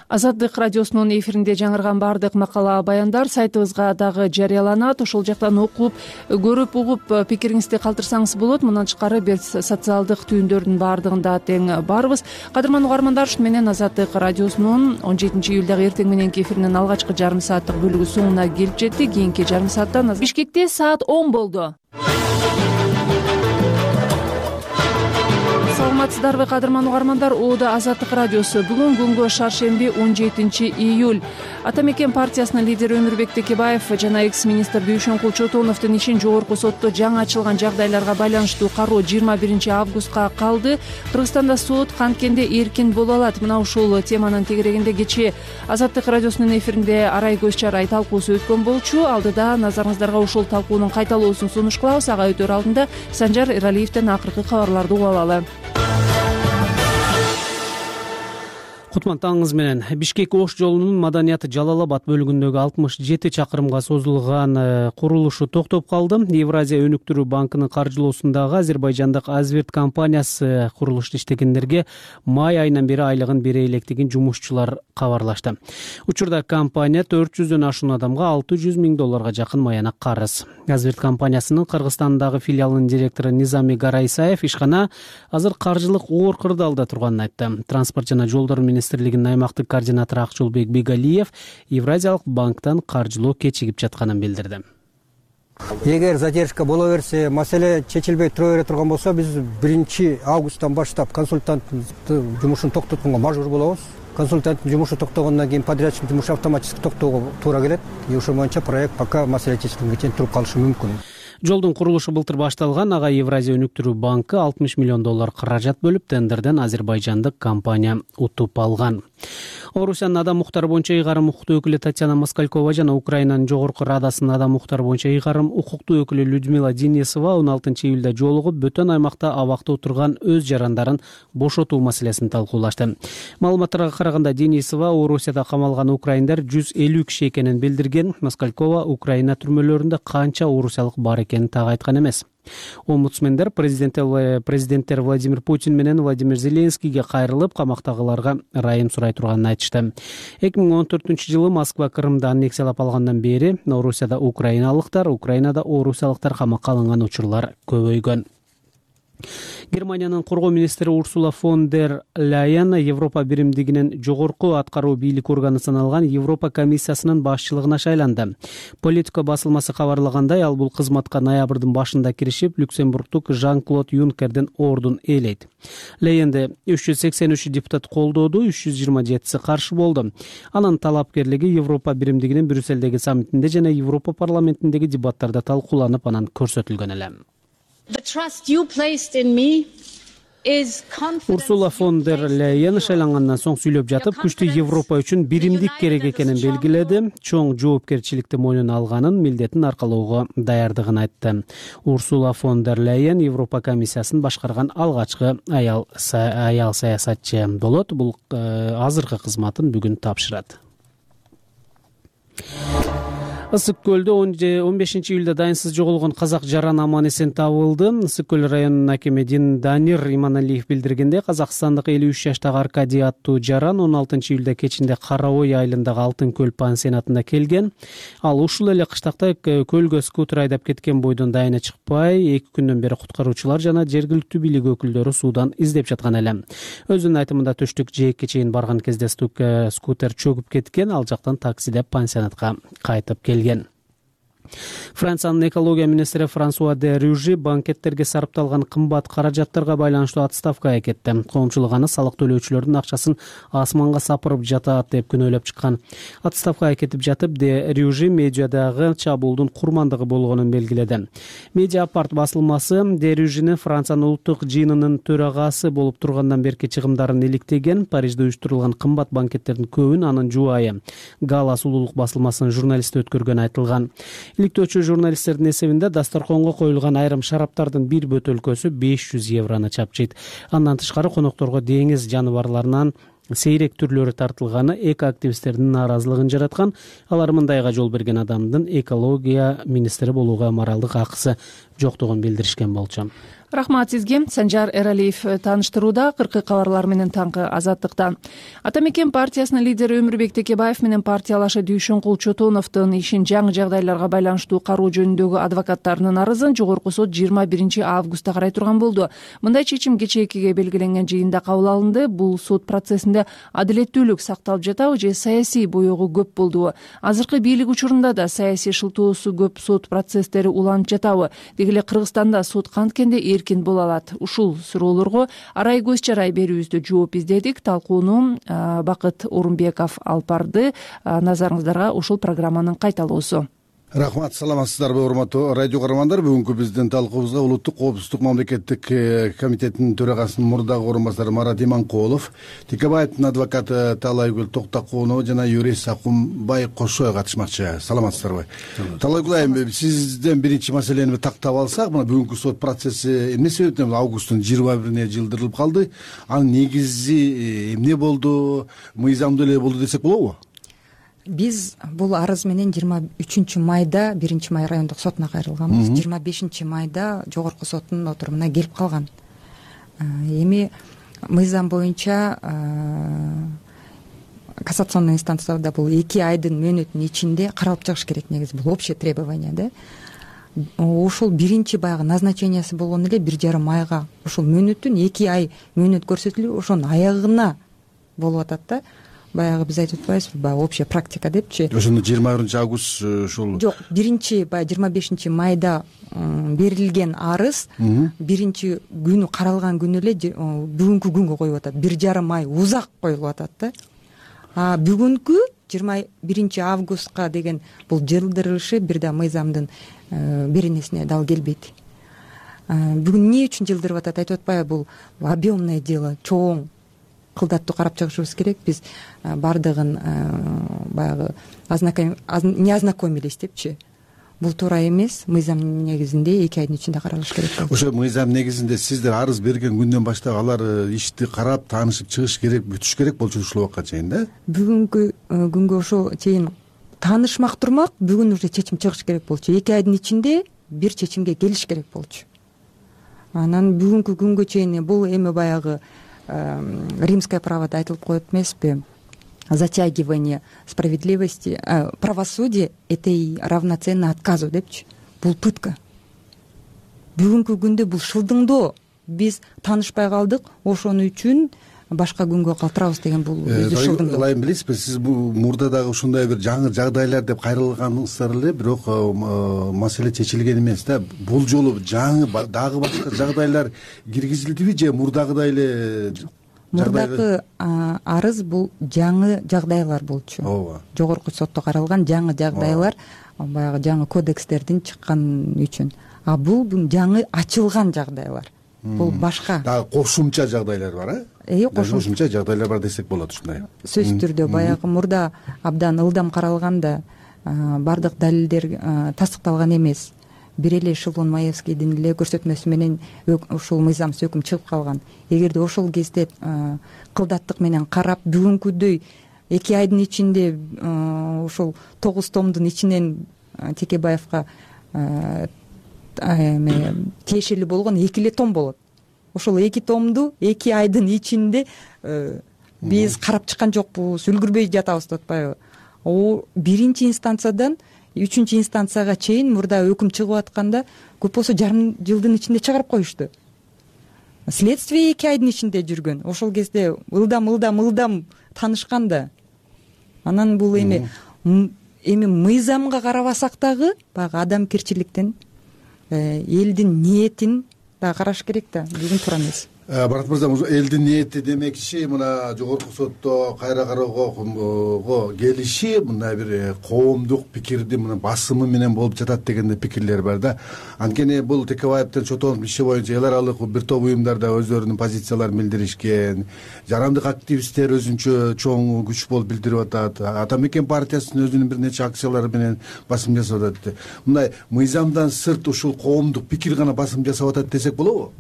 Азаттык радиосунун эфиринде жаңырган баардык макала баяндар сайтыбызга дагы жарыяланат. Ошол жактан окуп, көрүп, угуп пикириңизди калтырсаңыз болот. Мындан тышкары биз социалдык түйүндөрдүн баардыгында тең барбыз. Кадырман угармандар, ушу менен Азаттык радиосунун 17-июлдагы эртең мененки эфиринин алгачкы жарым сааттык бөлүгү соңуна келип жетти. Кийинки жарым сааттан Бишкекте саат 10 болду. Саламатсыздарбы, кадырман угармандар? Оодо Азаттык радиосу. Бүгүн күнгө шаршемби 17-июль. Ата мекен партиясынын лидери Өмүрбек Текебаев жана экс-министр Дүйшөн Кулчотоновдун ишин жогорку сотто жаңы ачылган жагдайларга байланыштуу кароо 21-августка калды. Кыргызстанда сот канткенде эркин боло алат. Мына ушул теманын тегерегинде кечээ Азаттык радиосунун эфиринде арай көз чарай талкуусу өткөн болчу. Алдыда назарыңыздарга ушул талкуунун кайталоосун сунуш кылабыз. Ага өтөр алдында Санжар Эралиевден акыркы кабарларды угуп алалы. Кутман таңыңыз менен. Бишкек Ош жолунун Маданият Жалал-Абад бөлүгүндөгү 67 чакырымга созулган курулушу токтоп калды. Евразия өнүктүрүү банкынын каржылоосундагы азербайжандык Азверт компаниясы курулушта иштегендерге май айынан бери айлыгын бере электигин жумушчулар кабарлашты. Учурда компания 400дөн ашуун адамга $600,000 жакын маянак карыз. Азверт компаниясынын Кыргызстандагы филиалынын директору Низами Гарайсаев ишкана азыр каржылык оор кырдаалда турганын айтты. Транспорт жана жолдор министрлигинин аймактык координатору Акчулбек Бегалиев Евразиялык банктан каржылоо кечигип жатканын билдирди. Эгер задержка боло берсе, маселе чечилбей тура бере турган болсо, биз 1-августтан баштап консультанттын жумушун токтотконго мажбур болобуз. Консультанттын жумушу токтогондон кийин подрядчиктин жумушу автоматически токтоого туура келет. Ошол боюнча проект пока маселе чечилгенге чейин туруп калышы мүмкүн. Жолдун курулушу былтыр башталган. Ага Евразия өнүктүрүү банкы $60 миллион каражат бөлүп, тендерден азербайжандык компания утуп алган. Орусиянын адам укуктары боюнча ыйгарым укуктуу өкүлү Татьяна Москалькова жана Украинанын жогорку радасынын адам укуктары боюнча ыйгарым укуктуу өкүлү Людмила Денисова 16-июлда жолугуп, бөтөн аймакта абакта отурган өз жарандарын бошотуу маселесин талкуулашты. Маалыматтарга караганда Денисова Орусияда камалган украиндар 150 киши экенин билдирген. Москалькова Украина түрмөлөрүндө канча орусиялык бар экенин так айткан эмес. Омбудсмендер президенттер Владимир Путин менен Владимир Зеленскийге кайрылып, камактагыларга ырайым сурай турганын айтышты. 2014-жылы Москва Крымды аннексиялап алгандан бери Орусияда украиналыктар, Украинада орусиялыктар камакка алынган учурлар көбөйгөн. Германиянын коргоо министри Урсула фон дер Ляйен Европа биримдигинин жогорку аткаруу бийлик органы саналган Европа комиссиясынын башчылыгына шайланды. Политика басылмасы кабарлагандай, ал бул кызматка ноябрдын башында киришип, Люксембургдук Жан-Клод Юнкердин ордун ээлейт. Ляйенди 383 депутат колдоду, 327 каршы болду. Анын талапкерлиги Европа биримдигинин Брюсселдеги саммитинде жана Европа парламентиндеги дебаттарда талкууланып, анан көрсөтүлгөн эле. Урсула фон дер Ляйен шайлангандан соң сүйлөп жатып, күчтүү Европа үчүн биримдик керек экенин белгиледи. Чоң жоопкерчиликти мойнуна алганын, милдетин аркалоого даярдыгын айтты. Урсула фон дер Ляйен Европа комиссиясын башкарган алгачкы аял саясатчы болот. Бул азыркы кызматын бүгүн тапшырат. Ысык көлдө 15-июлда дайынсыз жоголгон казак жаран аман эсен табылды. Ысык көл районунун акими Данир Иманалиев билдиргенде, казакстандык 53 жаштагы Аркадий аттуу жаран 16-июлда кечинде Кара Ой айылындагы Алтын көл пансионатына келген. Ал ушул эле кыштакта көлгө скутер айдап кеткен бойдон дайыны чыкпай, 2 күндөн бери куткаруучулар жана жергиликтүү бийлик өкүлдөрү суудан издеп жаткан эле. Өзүнүн айтымында түштүк жээкке чейин барган кезде скутер чөгүп кеткен, ал жактан таксидеп пансионатка кайтып келген. Франциянын экология министри Франсуа де Рюжи банкеттерге сарпталган кымбат каражаттарга байланыштуу отставкага кетти. Коомчулук аны салык төлөөчүлөрдүн акчасын асманга сапырып жатат деп күнөөлөп чыккан. Отставкага кетип жатып, де Рюжи медиадагы чабуулдун курмандыгы болгонун белгиледи. Медиапарт басылмасы де Рюжини Франциянын улуттук жыйынынын төрагасы болуп тургандан берки чыгымдарын иликтеген. Парижде уюштурулган кымбат банкеттердин көбүн анын жубайы Гала сулуулук басылмасынын журналисти өткөргөнү айтылган. иликтөөчү журналисттердин эсебинде дасторконго коюлган айрым шараптардын бир бөтөлкөсү 500 еврону чапчыйт. Андан тышкары конокторго деңиз жаныбарларынан сейрек түрлөрү тартылганы экоактивисттердин нааразылыгын жараткан. Алар мындайга жол берген адамдын экология министри болууга моралдык акысы жоктугун билдиришкен болчу. Рахмат сизге. Санжар Эралиев тааныштырууда. Кыркы кабарлар менен таңкы Азаттыктан. Ата мекен партиясынын лидери Өмүрбек Текебаев менен партиялашы Дүйшөнкул Чотоновдун ишин жаңы жагдайларга байланыштуу кароо жөнүндөгү адвокаттарынын арызын жогорку сот 21 августта карай турган болду. Мындай чечим кечээ 2-ге белгиленген жыйында кабыл алынды. Бул сот процессинде адилеттүүлүк сакталып жатабы же саясий боёгу көп болдубу? Азыркы бийлик учурунда да саясий шылтоосу көп сот процесстери уланып жатабы? Деги эле Кыргызстанда сот канткенде эркин боло алат? Ушул суроолорго арай көз чарай берүүбүздө жооп издедик. Талкууну Бакыт Орунбеков алып барды. Назарыңыздарга ушул программанын кайталоосу. Рахмат, саламатсыздарбы урматтуу радио каармандар. Бүгүнкү биздин талкуубузга улуттук коопсуздук мамлекеттик комитетинин төрагасынын мурдагы орун басары Марат Иманкулов, Текебаевдин адвокаты Таалайгүл Токтокунова жана юрист Акунбай Кошой катышмакчы. Саламатсыздарбы? Таалайгүл айым, сизден биринчи маселени тактап алсак, мына бүгүнкү сот процесси эмне себептен августтун 21-ине жылдырылып калды? Анын негизи эмне болду? Мыйзамдуу эле болду десек болобу? Биз бул арыз менен 23 майда 1 май райондук сотуна кайрылганбыз. 25 майда жогорку соттун отурумуна келип калган. Эми мыйзам боюнча кассационный инстанцияда бул 2 айдын мөөнөтүнүн ичинде каралып чыгыш керек. Негизи бул общее требование да. Ушул биринчи баягы назначениясы болгон эле 1,5 айга ушул мөөнөттүн 2 ай мөөнөт көрсөтүлүп, ошонун аягына болуп атат да. Баягы биз айтып атпайбызбы, баягы общая практика депчи. Ошондо 21 август ушул. Жок, биринчи баягы 25 майда берилген арыз биринчи күнү каралган күнү эле бүгүнкү күнгө коюп атат. 1,5 ай узак коюлуп атат да. Бүгүнкү 21 августка деген бул жылдырылышы бир да мыйзамдын беренесине дал келбейт. Бүгүн эмне үчүн жылдырып атат айтып атпайбы, бул объемное дело, чоң кылдаттуу карап чыгышыбыз керек. Биз бардыгын баягы не ознакомились депчи. Бул туура эмес. Мыйзам негизинде 2 айдын ичинде каралыш керек болчу. Ошо мыйзам негизинде сиздер арыз берген күндөн баштап алар ишти карап, таанышып чыгыш керек, бүтүш керек болчу ушул убакка чейин да? Бүгүнкү күнгө ошо чейин таанышмак турмак, бүгүн уже чечим чыгыш керек болчу. 2 айдын ичинде бир чечимге келиш керек болчу. Анан бүгүнкү күнгө чейин бул эми баягы римское праводо айтылып коет эмеспи? Затягивание справедливости, правосудие — это и равноценно отказу депчи. Бул пытка. Бүгүнкү күндө бул шылдыңдоо. Биз таанышпай калдык, ошон үчүн башка күнгө калтырабыз деген бул өзү шылдыңдоо. Ылайым билесизби, сиз бул мурда дагы ушундай бир жаңы жагдайлар деп кайрылганыңыздар эле, бирок маселе чечилген эмес да. Бул жолу жаңы дагы башка жагдайлар киргизилдиби же мурдагыдай эле? Мурдагы арыз бул жаңы жагдайлар болчу. Ооба. Жогорку сотто каралган жаңы жагдайлар, баягы жаңы кодекстердин чыккан үчүн. Бул жаңы ачылган жагдайлар. Бул башка. Дагы кошумча жагдайлар бар, кошумча жагдайлар бар десек болот ушундай. Сөзсүз түрдө баягы мурда абдан ылдам каралганда бардык далилдер тастыкталган эмес. Бир эле Шилон Маевскийдин эле көрсөтмөсү менен ушул мыйзамсыз өкүм чыгып калган. Эгерде ошол кезде кылдаттык менен карап, бүгүнкүдөй 2 айдын ичинде ушул 9 томдун ичинен Текебаевга тиешелүү болгон 2 эле том болот. Ошол 2 томду 2 айдын ичинде биз карап чыккан жокпуз, үлгүрбөй жатабыз деп атпайбы? Биринчи инстанциядан 3-чү инстанцияга чейин мурда өкүм чыгып атканда көп болсо жарым жылдын ичинде чыгарып коюшту. Следствие 2 айдын ичинде жүргөн. Ошол кезде ылдам таанышкан да. Анан бул эми мыйзамга карабасак дагы баягы адамгерчиликтен элдин ниетин да караш керек да. Бүгүн туура эмес. Барат мырза, элдин ниети демекчи мына жогорку сотто кайра кароого келиши мындай бир коомдук пикирди мына басымы менен болуп жатат деген пикирлер бар да. Анткени бул Текебаевдин сотолуп иши боюнча эл аралык бир топ уюмдар да өздөрүнүн позицияларын билдиришкен, жарандык активисттер өзүнчө чоң күч болуп билдирип атат, Ата Мекен партиясынын өзүнүн бир нече акциялары менен басым жасап атат. Мындай мыйзамдан сырт ушул коомдук пикир гана басым жасап атат десек болобу?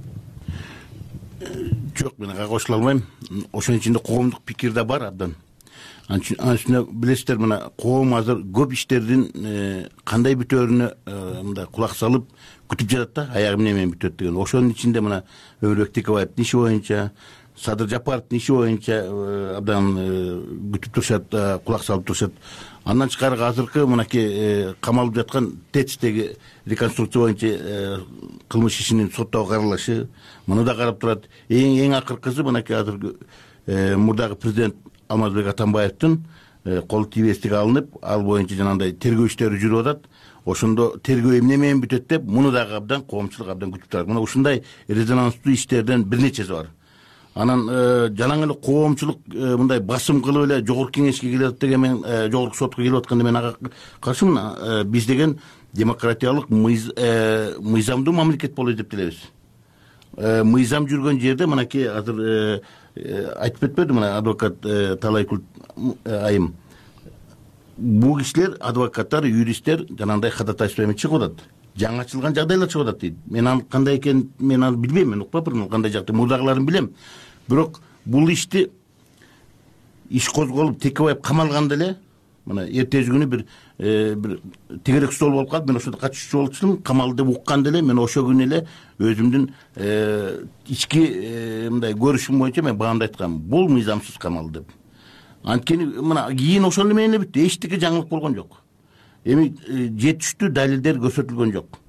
Жок, мен ага кошула албайм. Ошонун ичинде коомдук пикир да бар абдан. Анын билесиздер, мына коом азыр көп иштердин кандай бүтөөрүнө мындай кулак салып күтүп жатат да, аягы менен бүтөт деген. Ошонун ичинде мына Өмүрбек Текебаевдин иши боюнча, Садыр Жапаровдун иши боюнча абдан күтүп турушат, кулак салып турушат. Андан тышкары азыркы мынакей камалып жаткан ТЭЦтеги реконструкция боюнча кылмыш ишинин соттогу каралышы, муну да карап турат. Эң акыркысы мынакей азыркы мурдагы президент Алмазбек Атамбаевдин кол тийбестиги алынып, ал боюнча жанагындай тергөө иштери жүрүп атат. Ошондо тергөө эмне менен бүтөт деп, муну дагы абдан коомчулук абдан күтүп турат. Мына ушундай резонанстуу иштерден бир нечеси бар. Анан жалаң эле коомчулук мындай басым кылып эле жогорку кеңешке келип атат деген, мен жогорку сотко келип атканда мен ага каршымын. Биз деген демократиялык мыйзамдуу мамлекет болот деп билебиз. Мыйзам жүргөн жерде мынакей азыр айтып кетпеди мына адвокат Талайкул айым. Бул кишилер, адвокаттар, юристтер жанагындай ходатайство менен чыгып атат. Жаңы ачылган жагдайлар чыгып атат дейт. Мен ал кандай экенин мен аны билбейм, мен укпапмын кандай жакта, мурдагыларын билем. Бирок бул иш козголуп Текебаев камалганда эле, мына эртеси күнү бир тегерек стол болуп калып, мен ошондо катышуучу болчумун, камалды деп укканда эле мен ошол күнү эле өзүмдүн ички мындай көрүшүм боюнча мен баамда айткам, бул мыйзамсыз камалды деп. Анткени мына кийин ошол менен эле бүттү, эчтеке жаңылык болгон жок. Эми жетиштүү далилдер көрсөтүлгөн жок.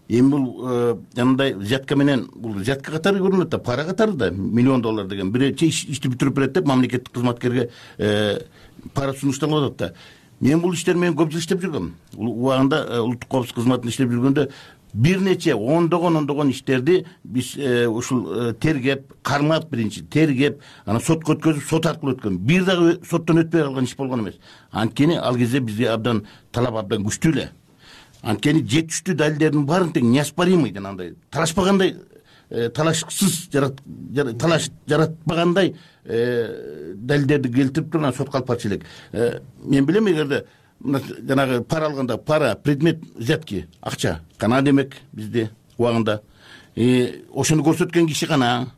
Эми бул жанагындай взятка менен, бул взятка катары көрүнөт да, пара катары да, $1,000,000 деген. Биринчи ишти бүтүрүп берет деп мамлекеттик кызматкерге пара сунушталып атат да. Мен бул иштер менен көп жыл иштеп жүргөм. Убагында улуттук коопсуздук кызматында иштеп жүргөндө бир нече ондогон иштерди биз ушул тергеп, кармап, биринчи тергеп, анан сотко өткөзүп, сот аркылуу өткөн. Бир дагы соттон өтпөй калган иш болгон эмес. Анткени ал кезде бизге абдан талап абдан күчтүү эле. Анткени жетиштүү далилдердин баарын тең неоспоримый жанагындай талашпагандай, талашсыз талаш жаратпагандай далилдерди келтирип туруп сотко алып барчу элек. Мен билем, эгерде жанагы пара алганда, пара, предмет взятки, акча кана демек бизде убагында. Ошону көрсөткөн киши кана,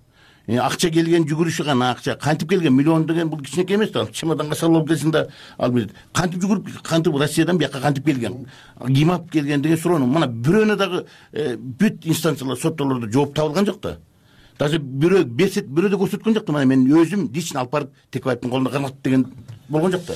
акча келген жүгүрүшү кана, акча кантип келген, $1,000,000 деген бул кичинекей эмес да. Чемоданга салып алып келсин да, ал билет. Кантип жүгүрүп, кантип Россиядан бияка кантип келген, ким алып келген деген суроону мына бирөөнө дагы бүт инстанциялар, соттолордо жооп табылган жок да. Даже бирөө бирөө да көрсөткөн жок да. Мына мен өзүм лично алып барып Текебаевдин колунда карматтым деген болгон жок да.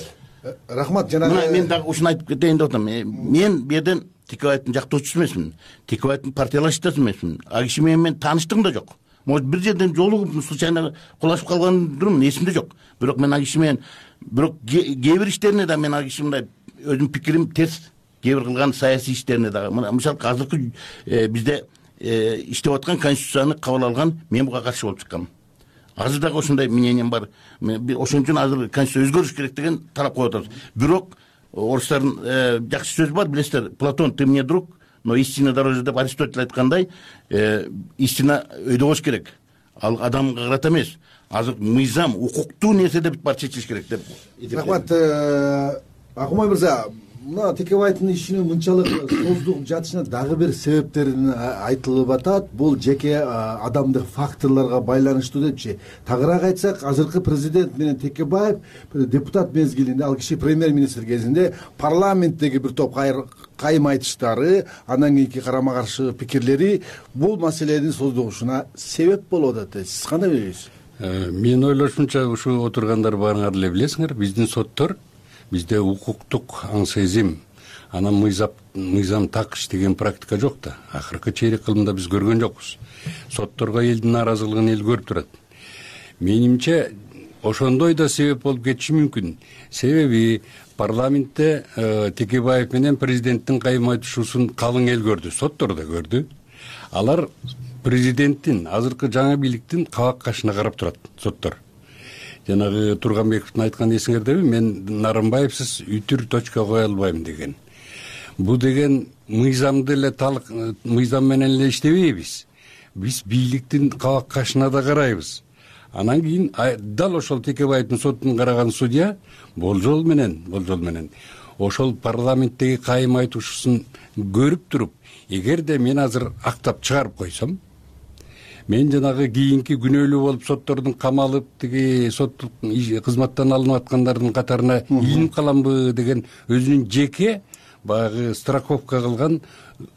Рахмат. Жанагы мен дагы ушуну айтып кетейин деп атам. Мен бу жерден Текебаевдин жактоочусу эмесмин. Текебаевдин партиялашташы эмесмин. Ал киши менен мен тааныштыгым да жок. Может бир жерден жолугуп случайно кулашып калгандырмын, эсимде жок. Бирок мен ал киши менен, бирок кээ бир иштерине да мен ал киши мындай өзүм пикирим терс, кээ бир кылган саясий иштерине дагы. Мисалы азыркы бизде иштеп аткан конституцияны кабыл алган мен буга каршы болуп чыккам. Азыр дагы ошондой мнением бар. Ошон үчүн азыр конституция өзгөрүш керек деген талап коюп атабыз. Бирок орустардын жакшы сөзү бар, билесиздер, Платон, ты мне друг, но истина дороже деп Аристотель айткандай, истина өйдө болуш керек. Ал адамга карата эмес. Азыр мыйзам, укуктуу нерседе бүт бар чечилиш керек деп. Рахмат. Акмай мырза, мына Текебаевдин ишинин мынчалык создугуп жатышына дагы бир себептерин айтылып атат. Бул жеке адамдык факторлорго байланыштуу депчи. Тагыраак айтсак, азыркы президент менен Текебаев депутат мезгилинде, ал киши премьер-министр кезинде парламенттеги бир топ кайым айтыштары, андан кийинки карама каршы пикирлери бул маселенин создугушуна себеп болуп атат. Сиз кандай билесиз? Мен ойлошумча, ушу отургандар баарыңар эле билесиңер, биздин соттор, бизде укуктук аң сезим, анан мыйзам так иштеген практика жок да. Акыркы чейрек кылымда биз көргөн жокпуз. Сотторго элдин нааразылыгын эл көрүп турат. Менимче ошондой да себеп болуп кетиши мүмкүн. Себеби парламентте Текебаев менен президенттин кайым айтышуусун калың эл көрдү, соттор да көрдү. алар президенттин азыркы жаңы бийликтин кабак кашына карап турат соттор. Жанагы Турганбековдун айтканы эсиңердеби, мен Нарымбаевсиз үтүр точка кое албайм деген. Бу деген мыйзамды эле мыйзам менен эле иштебейбиз. Биз бийликтин кабак кашына да карайбыз. Анан кийин дал ошол Текебаевдин сотун караган судья болжол менен ошол парламенттеги кайым айтуушусун көрүп туруп, эгерде мен азыр актап чыгарып койсом, мен жанагы кийинки күнөөлүү болуп соттордун камалып, тиги соттук кызматтан алынып аткандардын катарына илинип каламбы деген өзүнүн жеке баягы страховка кылган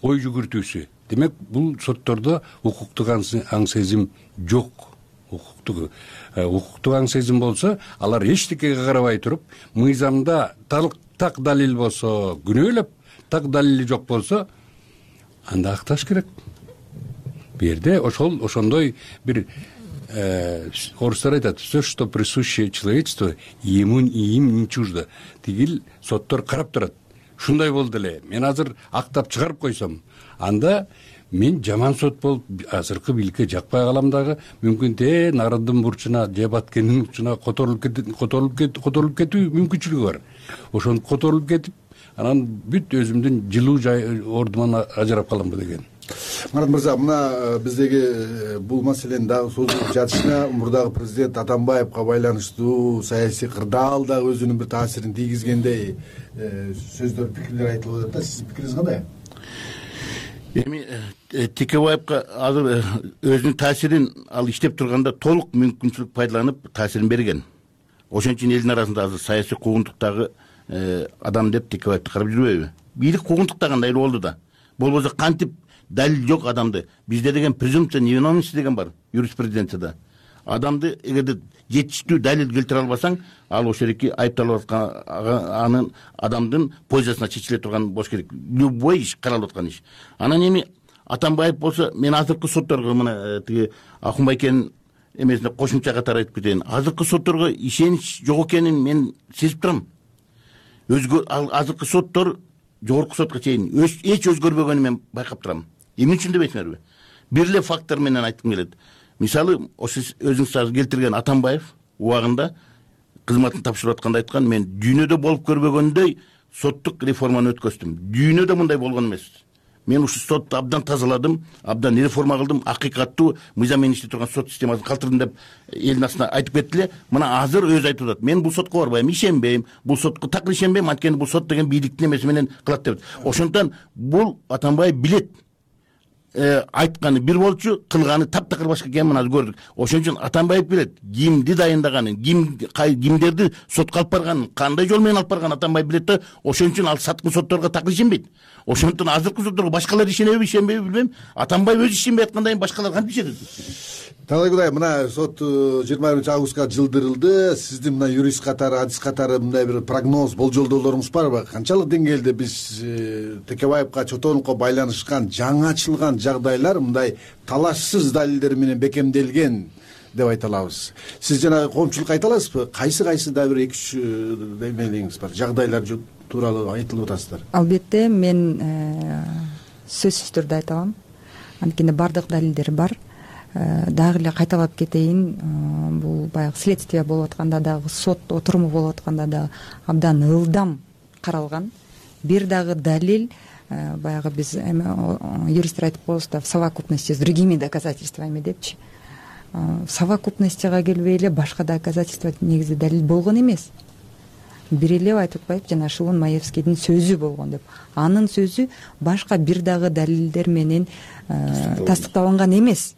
ой жүгүртүүсү. Демек, бул соттордо укуктук аң сезим жок. Укуктук аң сезим болсо, алар эчтекеге карабай туруп, мыйзамда так далил болсо күнөөлөп, так далили жок болсо, анда акташ керек. Бу жерде ошондой бир орустар айтат, все, что присуще человечеству, ему не чуждо. Тигил соттор карап турат. Ушундай болду эле. Мен азыр актап чыгарып койсом, анда мен жаман сот болуп азыркы бийликке жакпай калам дагы, мүмкүн народдун бурчуна же Баткендин бурчуна которулуп кетүү мүмкүнчүлүгү бар. Ошону которулуп кетип, анан бүт өзүмдүн жылуу ордуман ажырап каламбы деген. Марат мырза, мына биздеги бул маселенин дагы созулуп жатышына мурдагы президент Атамбаевга байланыштуу саясий кырдаал дагы өзүнүн бир таасирин тийгизгендей сөздөр, пикирлер айтылып атат да. Сиздин пикириңиз кандай? Эми Текебаевга азыр өзүнүн таасирин ал иштеп турганда толук мүмкүнчүлүк пайдаланып таасирин берген. Ошон үчүн элдин арасында азыр саясий куугунтуктагы адам деп Текебаевди карап жүрбөйбү? Бийлик куугунтуктагандай эле болду да. Болбосо кантип далил жок адамды. Бизде деген презумпция невиновности деген бар юриспруденцияда. Адамды эгерде жетиштүү далил келтире албасаң, ал ошол жерки айыпталып аткан анын адамдын пользасына чечиле турган болуш керек. Любой иш каралып аткан иш. Анан эми Атамбаев болсо, мен азыркы сотторго мына тиги Акунбайкенин эмесине кошумча катары айтып кетейин. Азыркы сотторго ишенич жок экенин мен сезип турам. Азыркы соттор жогорку сотко чейин эч өзгөрбөгөнүн мен байкап турам. Эмне үчүн дебейсиңерби? Бир эле фактор менен айткым келет. Мисалы, ошо өзүңүз азыр келтирген Атамбаев убагында кызматын тапшырып атканда айткан, мен дүйнөдө болуп көрбөгөндөй соттук реформаны өткөздүм. Дүйнөдө мындай болгон эмес. Мен ушу сотту абдан тазаладым, абдан реформа кылдым, акыйкаттуу мыйзам менен иштеп турган сот системасын калтырдым деп элдин астына айтып кетти эле. Мына азыр өзү айтып атат. Мен бул сотко барбайм, ишенбейм, бул сотко такыр ишенбейм, анткени бул сот деген бийликтин эмеси менен кылат деп. Ошондон бул Атамбаев билет. Айтканы бир болчу, кылганы таптакыр башка экенин мына көрдүк. Ошон үчүн Атамбаев билет, кимди дайындаганын, кимдерди сотко алып барганын, кандай жол менен алып барганын Атамбаев билет да. Ошон үчүн ал саткын сотторго такыр ишенбейт. Ошондон азыркы сотторго башкалар ишенеби билбейм. Атамбаев өзү ишенбей аткандан кийин башкалар кантип ишенет? Талай Кудай, мына сот 20-августка жылдырылды. Сиздин мына юрист катары, адис катары мындай бир прогноз, болжолдоолоруңуз барбы? Канчалык деңгээлде биз Текебаевга, Чотоновго байланышкан жаңы ачылган жагдайлар мындай талашсыз далилдер менен бекемделген деп айта алабыз? Сиз жана коомчулукка айта аласызбы? Кайсы да бир 2-3 демелеңиз бар, жагдайлар тууралуу айтылып атасыздар? Албетте, мен сөзсүз түрдө айта алам. Анткени бардык далилдер бар. Дагы эле кайталап кетейин, бул баягы следствие болуп атканда дагы, сот отуруму болуп атканда дагы абдан ылдам каралган. Бир дагы далил, баягы биз юристтер айтып коебуз да, в совокупности с другими доказательствами депчи. В совокупностига келбей эле башка доказательство негизи далил болгон эмес. Бир эле айтып атпайбы, жана Шылын Маевскийдин сөзү болгон деп. Анын сөзү башка бир дагы далилдер менен тастыкталган эмес.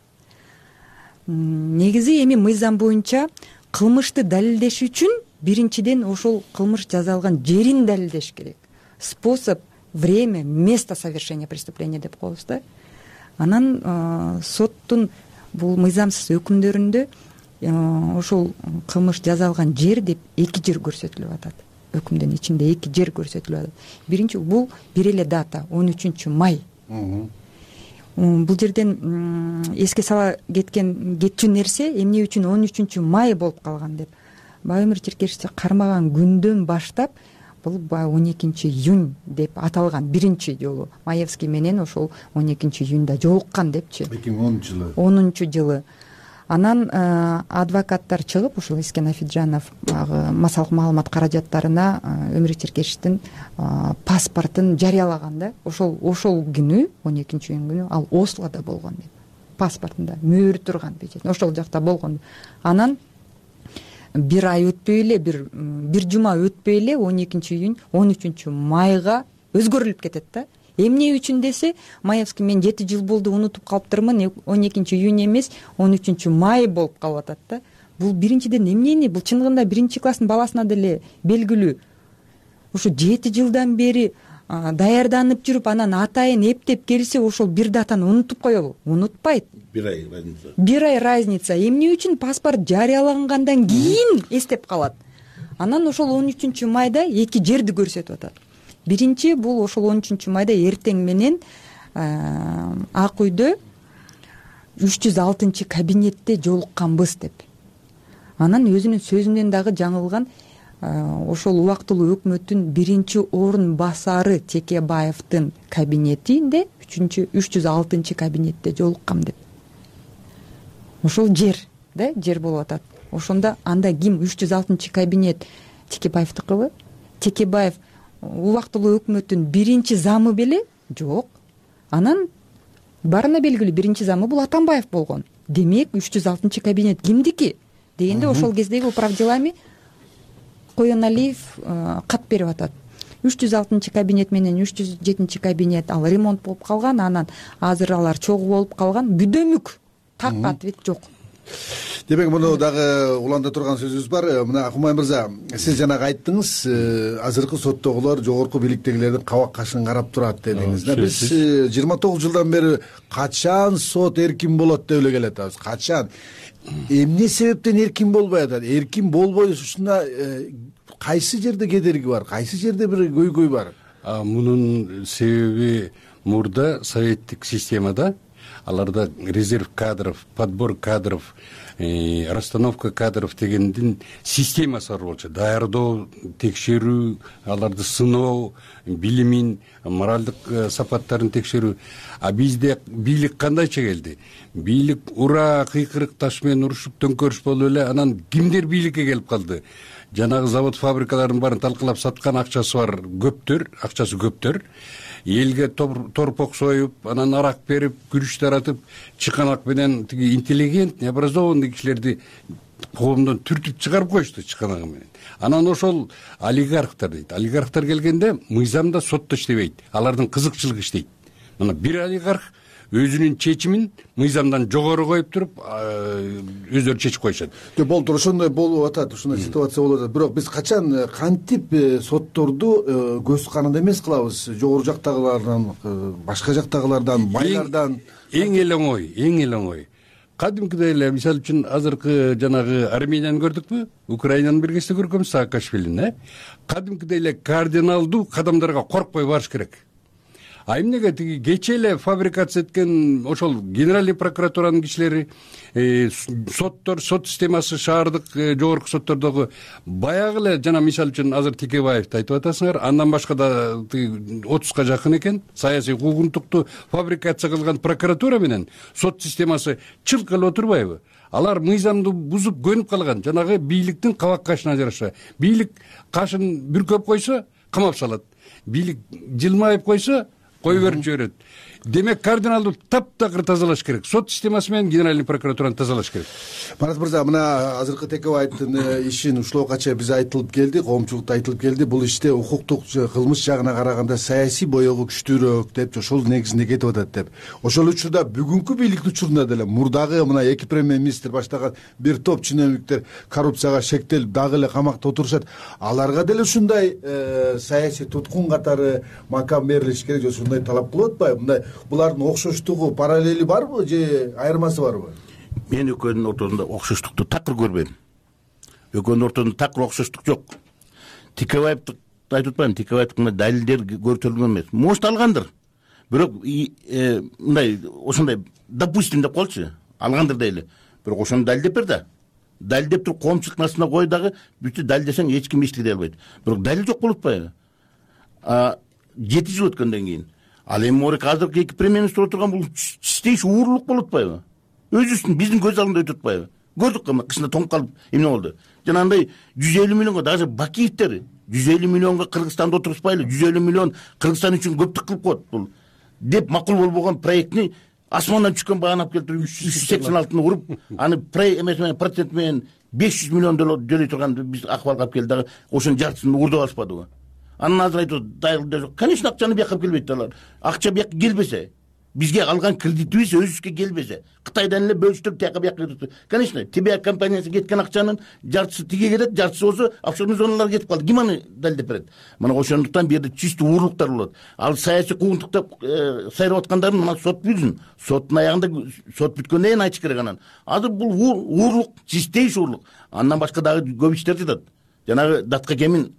Негизи эми мыйзам боюнча кылмышты далилдеш үчүн биринчиден ошол кылмыш жасалган жерин далилдеш керек. Способ, время, место совершения преступления деп коебуз да. Анан соттун бул мыйзамсыз өкүмдөрүндө ошол кылмыш жасалган жер деп 2 жер көрсөтүлүп атат. Өкүмдүн ичинде 2 жер көрсөтүлүп атат. Биринчи бул бир эле дата 13 май. Бул жерден эске сала кетчү нерсе эмне үчүн 13 май болуп калган деп. Баемир Черкешевич кармаган күндөн баштап бул баягы 12-июнь деп аталган биринчи жолу Маевский менен ошол 12-июньда жолуккан депчи 2010-жылы. Анан адвокаттар чыгып ушул Эскен Афиджанов баягы массалык маалымат каражаттарына Өмүрбек Черкешевдин паспортун жарыялаган да. Ошол күнү 12-июнь күнү ал Ослода болгон деп. Паспортунда мөөрү турган печать ошол жакта болгон. Анан бир ай өтпөй эле, бир жума өтпөй эле 12-июнь 13 майга өзгөрүлүп кетет да. Эмне үчүн десе, Маевский мен 7 жыл болду унутуп калыптырмын, 12-июнь эмес 13 май болуп калып атат да. Бул биринчиден эмнени? Бул чындыгында биринчи класстын баласына деле белгилүү. Ушу 7 жылдан бери даярданып жүрүп, анан атайын эптеп келсе, ошол бир датаны унутуп коелу. Унутпайт. Бир ай разница. Эмне үчүн паспорт жарыялагандан кийин эстеп калат. Анан ошол 13 майда эки жерди көрсөтүп атат. Биринчи бул ошол 13 майда эртең менен Ак үйдө 306 кабинетте жолукканбыз деп. Анан өзүнүн сөзүнөн дагы жаңылган. Ошол убактылуу өкмөттүн биринчи орун басары Текебаевдин кабинетинде 306 кабинетте жолуккам деп. Ошол жер болуп атат. Ошондо анда ким 306 кабинет Текебаевдикыбы? Текебаев убактылуу өкмөттүн биринчи замы беле? Жок. Анан барына белгилүү биринчи замы бул Атамбаев болгон. Демек 306 кабинет кимдики? Дегенде ошол кездеги управделами Коеналиев кат берип атат. 306 кабинет менен 307 кабинет ал ремонт болуп калган, анан азыр алар чогуу болуп калган. Бүдөмүк. Так ответ жок. Демек муну дагы уланда турган сөзүбүз бар. Мына Акумай мырза, сиз жанагы айттыңыз, азыркы соттогулар жогорку бийликтегилердин кабак кашын карап турат дедиңиз. Биз 29 жылдан бери качан сот эркин болот деп эле келатабыз. Качан? Эмне себептен эркин болбой атат? Эркин болбой ушуна кайсы жерде кедерги бар? Кайсы жерде бир көйгөй бар? Мунун себеби мурда советтик системада аларда резерв кадров, подбор кадров, расстановка кадров дегендин системасы бар болчу. Даярдоо, текшерүү, аларды сыноо, билимин, моралдык сапаттарын текшерүү. А бизде бийлик кандайча келди? Бийлик ура кыйкырык таш менен урушуп төңкөрүш болуп эле, анан кимдер бийликке келип калды? Жанагы завод фабрикалардын баарын талкалап саткан акчасы бар көптөр. Элге торпок союп, анан арак берип, күрүч таратып, чыканак менен тиги интеллигентный, образованный кишилерди коомдон түртүп чыгарып коюшту чыканагы менен. Анан ошол олигархтар дейт. Олигархтар келгенде мыйзамда сотто иштебейт. Алардын кызыкчылыгы иштейт. Мына бир олигарх өзүнүн чечимин мыйзамдан жогору коюп туруп, өздөрү чечип коюшат. Болду, ошондой болуп атат, ушундай ситуация болуп атат. Бирок биз качан кантип сотторду көз каранды эмес кылабыз? Жогору жактагылардан, башка жактагылардан, байлардан. Эң эле оңой. Кадимкидей эле, мисалы үчүн азыркы жанагы Арменияны көрдүкпү? Украинаны бир кезде көргөнбүз, Саакашвилини. Кадимкидей эле кардиналдуу кадамдарга коркпой барыш керек. А эмнеге тиги кече эле фабрикация эткен ошол генеральный прокуратуранын кишилери, соттор, сот системасы шаардык жогорку соттордогу баягы эле жана мисалы үчүн азыр Текебаевди айтып атасыңар, андан башка да 30га жакын экен саясий куугунтукту фабрикация кылган прокуратура менен сот системасы чылк эле отурбайбы? Алар мыйзамды бузуп көнүп калган, жанагы бийликтин кабак кашына жараша. Бийлик кашын бүркөп койсо камап салат. Бийлик жылмайып койсо кой берип жиберет. Демек кардиналдуу таптакыр тазалаш керек. Сот системасы менен генеральный прокуратураны тазалаш керек. Марат мырза, мына азыркы Текебаевдин ишин ушулга чейин биз айтылып келди, коомчулукта айтылып келди. Бул иште укуктук кылмыш жагына караганда саясий боёгу күчтүүрөөк деп, ошол негизинде кетип атат деп. Ошол учурда бүгүнкү бийликтин учурунда деле мурдагы мына эки премьер-министр баштаган бир топ чиновниктер коррупцияга шектелип дагы эле камакта отурушат. Аларга деле ушундай саясий туткун катары макам берилиш керек, же ушундай талап кылып атпайбы? Мындай булардын окшоштугу, параллели барбы же айырмасы барбы? Мен экөөнүн ортосунда окшоштукту такыр көрбөйм. Экөөнүн ортосунда такыр окшоштук жок. Текебаевди айтып атпайм, Текебаевдин далилдер көрсөтүлгөн эмес. Может алгандыр. Бирок мындай ошондой допустим деп коелучу. Алгандыр дейли. Бирок ошону далилдеп бер да. Далилдеп туруп коомчулук астына кой дагы, бүтү далилдесең эч ким эчтеке дей албайт. Бирок далил жок болуп атпайбы? 7 жыл өткөндөн кийин ал эми море азыркы 2 премьер-министр отурган бул чистейший уурлук болуп атпайбы? Өзүбүздүн биздин көз алдында өтүп атпайбы? Көрдүк эми кышында тоңуп калып эмне болду? Жанагындай 150 миллионго даже Бакиевдер 150 миллионго Кыргызстанда отурушпайлы, 150 миллион Кыргызстан үчүн көптүк кылып коет бул деп макул болбогон проектни асмандан түшкөн баганы алып келип 386-ны уруп, аны процент менен 500 миллион төлөй турган биз акыбалга алып келди дагы ошонун жартысын уурдап алышпадыбы? Анан азыр айтып атат, конечно, акчаны бияка алып келбейт алар. Акча бияка келбесе, бизге алган кредитибиз өзүбүзгө келбесе, Кытайдан эле бөлүштүрүп тияка бияка кетет. Конечно, ТБА компаниясы кеткен акчанын жартысы тиге кетет, жартысы болсо офшорный зоналарга кетип калды. Ким аны далилдеп берет? Мына ошондуктан бу жерде чистый уурлуктар болот. Ал саясий куугунтукта сайрап аткандарын мына сот бүтсүн. Соттун аягында сот бүткөндөн кийин айтыш керек анан. Азыр бул уурлук, чистейший уурлук. Андан башка дагы көп иштер жатат. Жанагы Датка кемин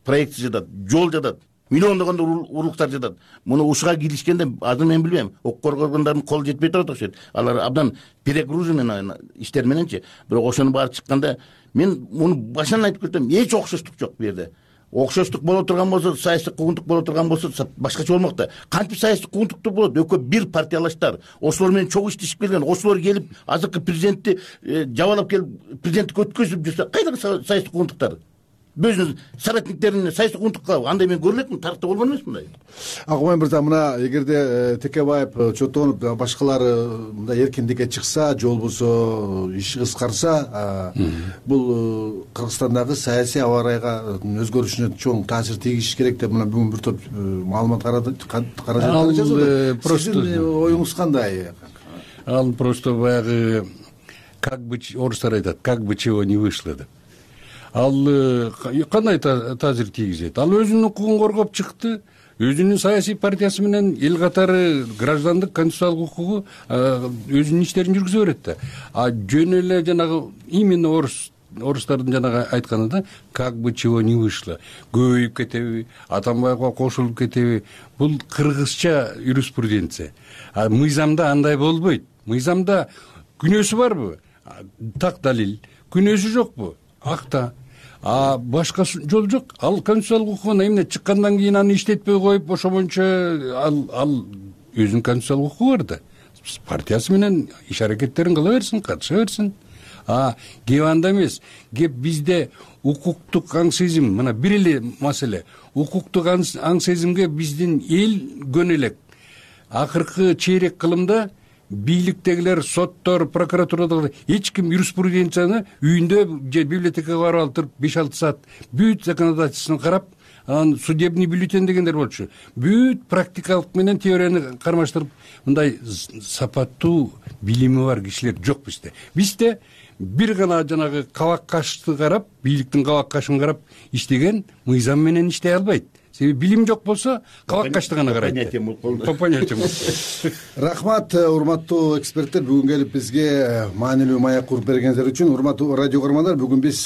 проекти жатат, жол жатат. Миллиондогондор урлуктар жатат. Муну ушуга киришкенде азыр мен билбейм, укук коргоогондордун колу жетпей турат окшойт. Алар абдан перегружен иштер мененчи. Бирок ошону баары чыкканда мен муну башынан айтып кетем, эч окшоштук жок бу жерде. Окшоштук боло турган болсо, саясий куугунтук боло турган болсо башкача болмок да. Кантип саясий куугунтуктур болот? Экөө бир партиялаштар, ошолор менен чогуу иштешип келген, ошолор келип азыркы президентти жабалап келип президенттикке өткөзүп жүрсө, кайдагы саясий куугунтуктар? Өзүнүн соратниктерине саясий куугунтукка андай мен көрө элекмин, тарыхта болгон эмес мындай. Акмай мырза, мына эгерде Текебаев чоттонуп башкалары мындай эркиндикке чыкса, же болбосо иши кыскарса, бул Кыргызстандагы саясий аба ырайга өзгөрүшүнө чоң таасир тийгизиш керек деп мына бүгүн бир топ маалымат каражат. Просто оюңуз кандай? Ал просто баягы как бы орустар айтат, как бы чего не вышло деп. Ал кандай таасир тийгизет? Ал өзүнүн укугун коргоп чыкты, өзүнүн саясий партиясы менен эл катары граждандык конституциялык укугу өзүнүн иштерин жүргүзө берет да. А жөн эле жанагы именно орустардын жанагы айтканы да, как бы чего не вышло. Көбөйүп кетеби, Атамбаевга кошулуп кетеби? Бул кыргызча юриспруденция. А мыйзамда андай болбойт. Мыйзамда күнөөсү барбы? Так далил. Күнөөсү жокпу? Акта. А башка жол жок. Ал конституциялык укугун эмне чыккандан кийин аны иштетпей коюп, ошо боюнча ал өзүнүн конституциялык укугу бар да. Партиясы менен иш аракеттерин кыла берсин, катыша берсин. А кеп анда эмес. Кеп бизде укуктук аң сезим, мына бир эле маселе. Укуктук аң сезимге биздин эл көнө элек. Акыркы чейрек кылымда бийликтегилер, соттор, прокуратурадагылар эч ким юриспруденцияны үйүндө же библиотекага барып алып туруп 5-6 саат бүт законодательствону карап, анан судебный бюллетень дегендер болчу. Бүт практикалык менен теорияны кармаштырып, мындай сапаттуу билими бар кишилер жок бизде. Бизде бир гана жанагы кабак кашты карап, бийликтин кабак кашын карап иштеген мыйзам менен иштей албайт. Себеби билим жок болсо кабак кашты гана карайт. По понятиям. Рахмат, урматтуу эксперттер, бүгүн келип бизге маанилүү маек куруп бергениңиздер үчүн. Урматтуу радио көрөрмандар, бүгүн биз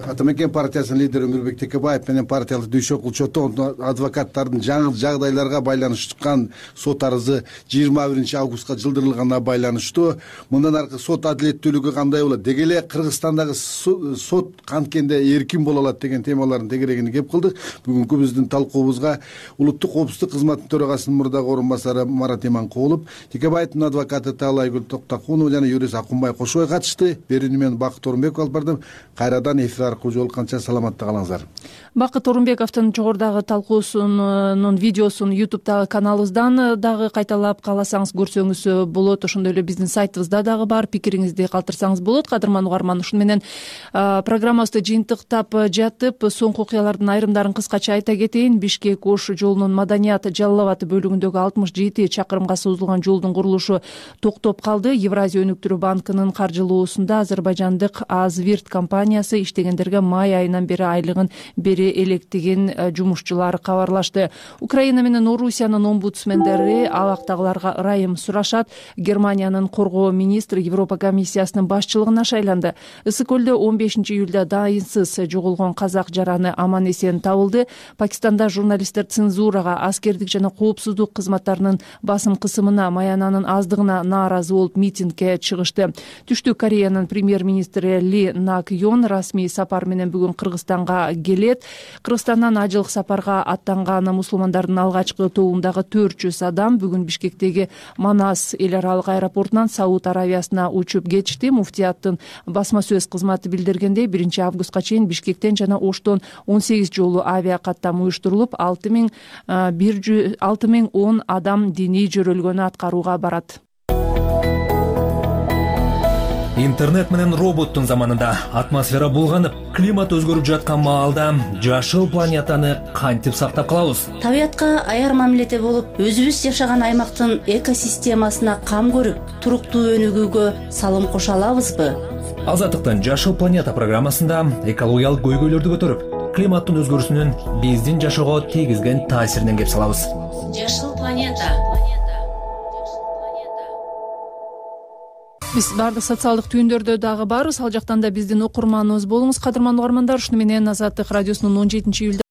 Атамекен партиясынын лидери Өмүрбек Текебаев менен партиялык дүйшө чоттон адвокаттардын жаңы жагдайларга байланыштыккан сот арызы 21-августка жылдырылганына байланыштуу мындан аркы сот адилеттүүлүгү кандай болот, деги эле Кыргызстандагы сот канткенде эркин боло алат деген темалардын тегерегине кеп кылдык. Бүгүнкү биздин талкуубузга улуттук коопсуздук кызматынын төрагасынын мурдагы орун басары Марат Иманкулов, Текебаевдин адвокаты Таалайгүл Токтокунова жана юрист Акунбай Кошубай катышты. Берүүнү мен Бакыт Орунбеков алып бардым. Кайрадан эфир аркылуу жолукканча саламатта калыңыздар. Бакыт Орунбековдун жогорудагы талкуусунун видеосун YouTube'дагы каналыбыздан дагы кайталап кааласаңыз көрсөңүз болот. Ошондой эле биздин сайтыбызда дагы бар. Пикириңизди калтырсаңыз болот. Кадырман угарман, ушуну менен программабызды жыйынтыктап жатып, соңку окуялардын айрымдарын кыскача айта кетейин. Бишкек-Ош жолунун Маданият Жалал Абад бөлүгүндөгү 67 чакырымга созулган жолдун курулушу токтоп калды. Евразия өнүктүрүү банкынын каржылоосунда азербайжандык Азвирт компаниясы иштегендерге май айынан бери айлыгын бере электеген жумушчулар кабарлашты. Украина менен Орусиянын омбудсмендери абактагыларга ырайым сурашат. Германиянын коргоо министри Европа комиссиясынын башчылыгына шайланды. Ысык көлдө 15-июлда дайынсыз жоголгон казак жараны аман эсен табылды. Пакистан Кыргызстанда журналисттер цензурага, аскердик жана коопсуздук кызматтарынын басым кысымына, маянанын аздыгына нааразы болуп митингге чыгышты. Түштүк Кореянын премьер-министри Ли Нак Йон расмий сапар менен бүгүн Кыргызстанга келет. Кыргызстандан ажылык сапарга аттанган мусулмандардын алгачкы тобундагы 400 адам бүгүн Бишкектеги Манас эл аралык аэропортунан Сауд Аравиясына учуп кетишти. Муфтияттын басма сөз кызматы билдиргендей, 1 августка чейин Бишкектен жана Оштон 18 жолу авиа каттам уюштурулуп, 6010 адам диний жөрөлгөнү аткарууга барат. Интернет менен роботтун заманында атмосфера булганып, климат өзгөрүп жаткан маалда жашыл планетаны кантип сактап калабыз? Табиятка аяр мамиледе болуп, өзүбүз жашаган аймактын экосистемасына кам көрүп, туруктуу өнүгүүгө салым кошо алабызбы? Азаттыктын Жашыл планета программасында экологиялык көйгөйлөрдү көтөрүп, климаттын өзгөрүүсүнүн биздин жашоого тийгизген таасиринен кеп салабыз. Жашыл планета. Биз баардык социалдык түйүндөрдө дагы барбыз. Ал жактан да биздин окурманыбыз болуңуз, кадырман угармандар. Ушуну менен Азаттык радиосунун 17-июль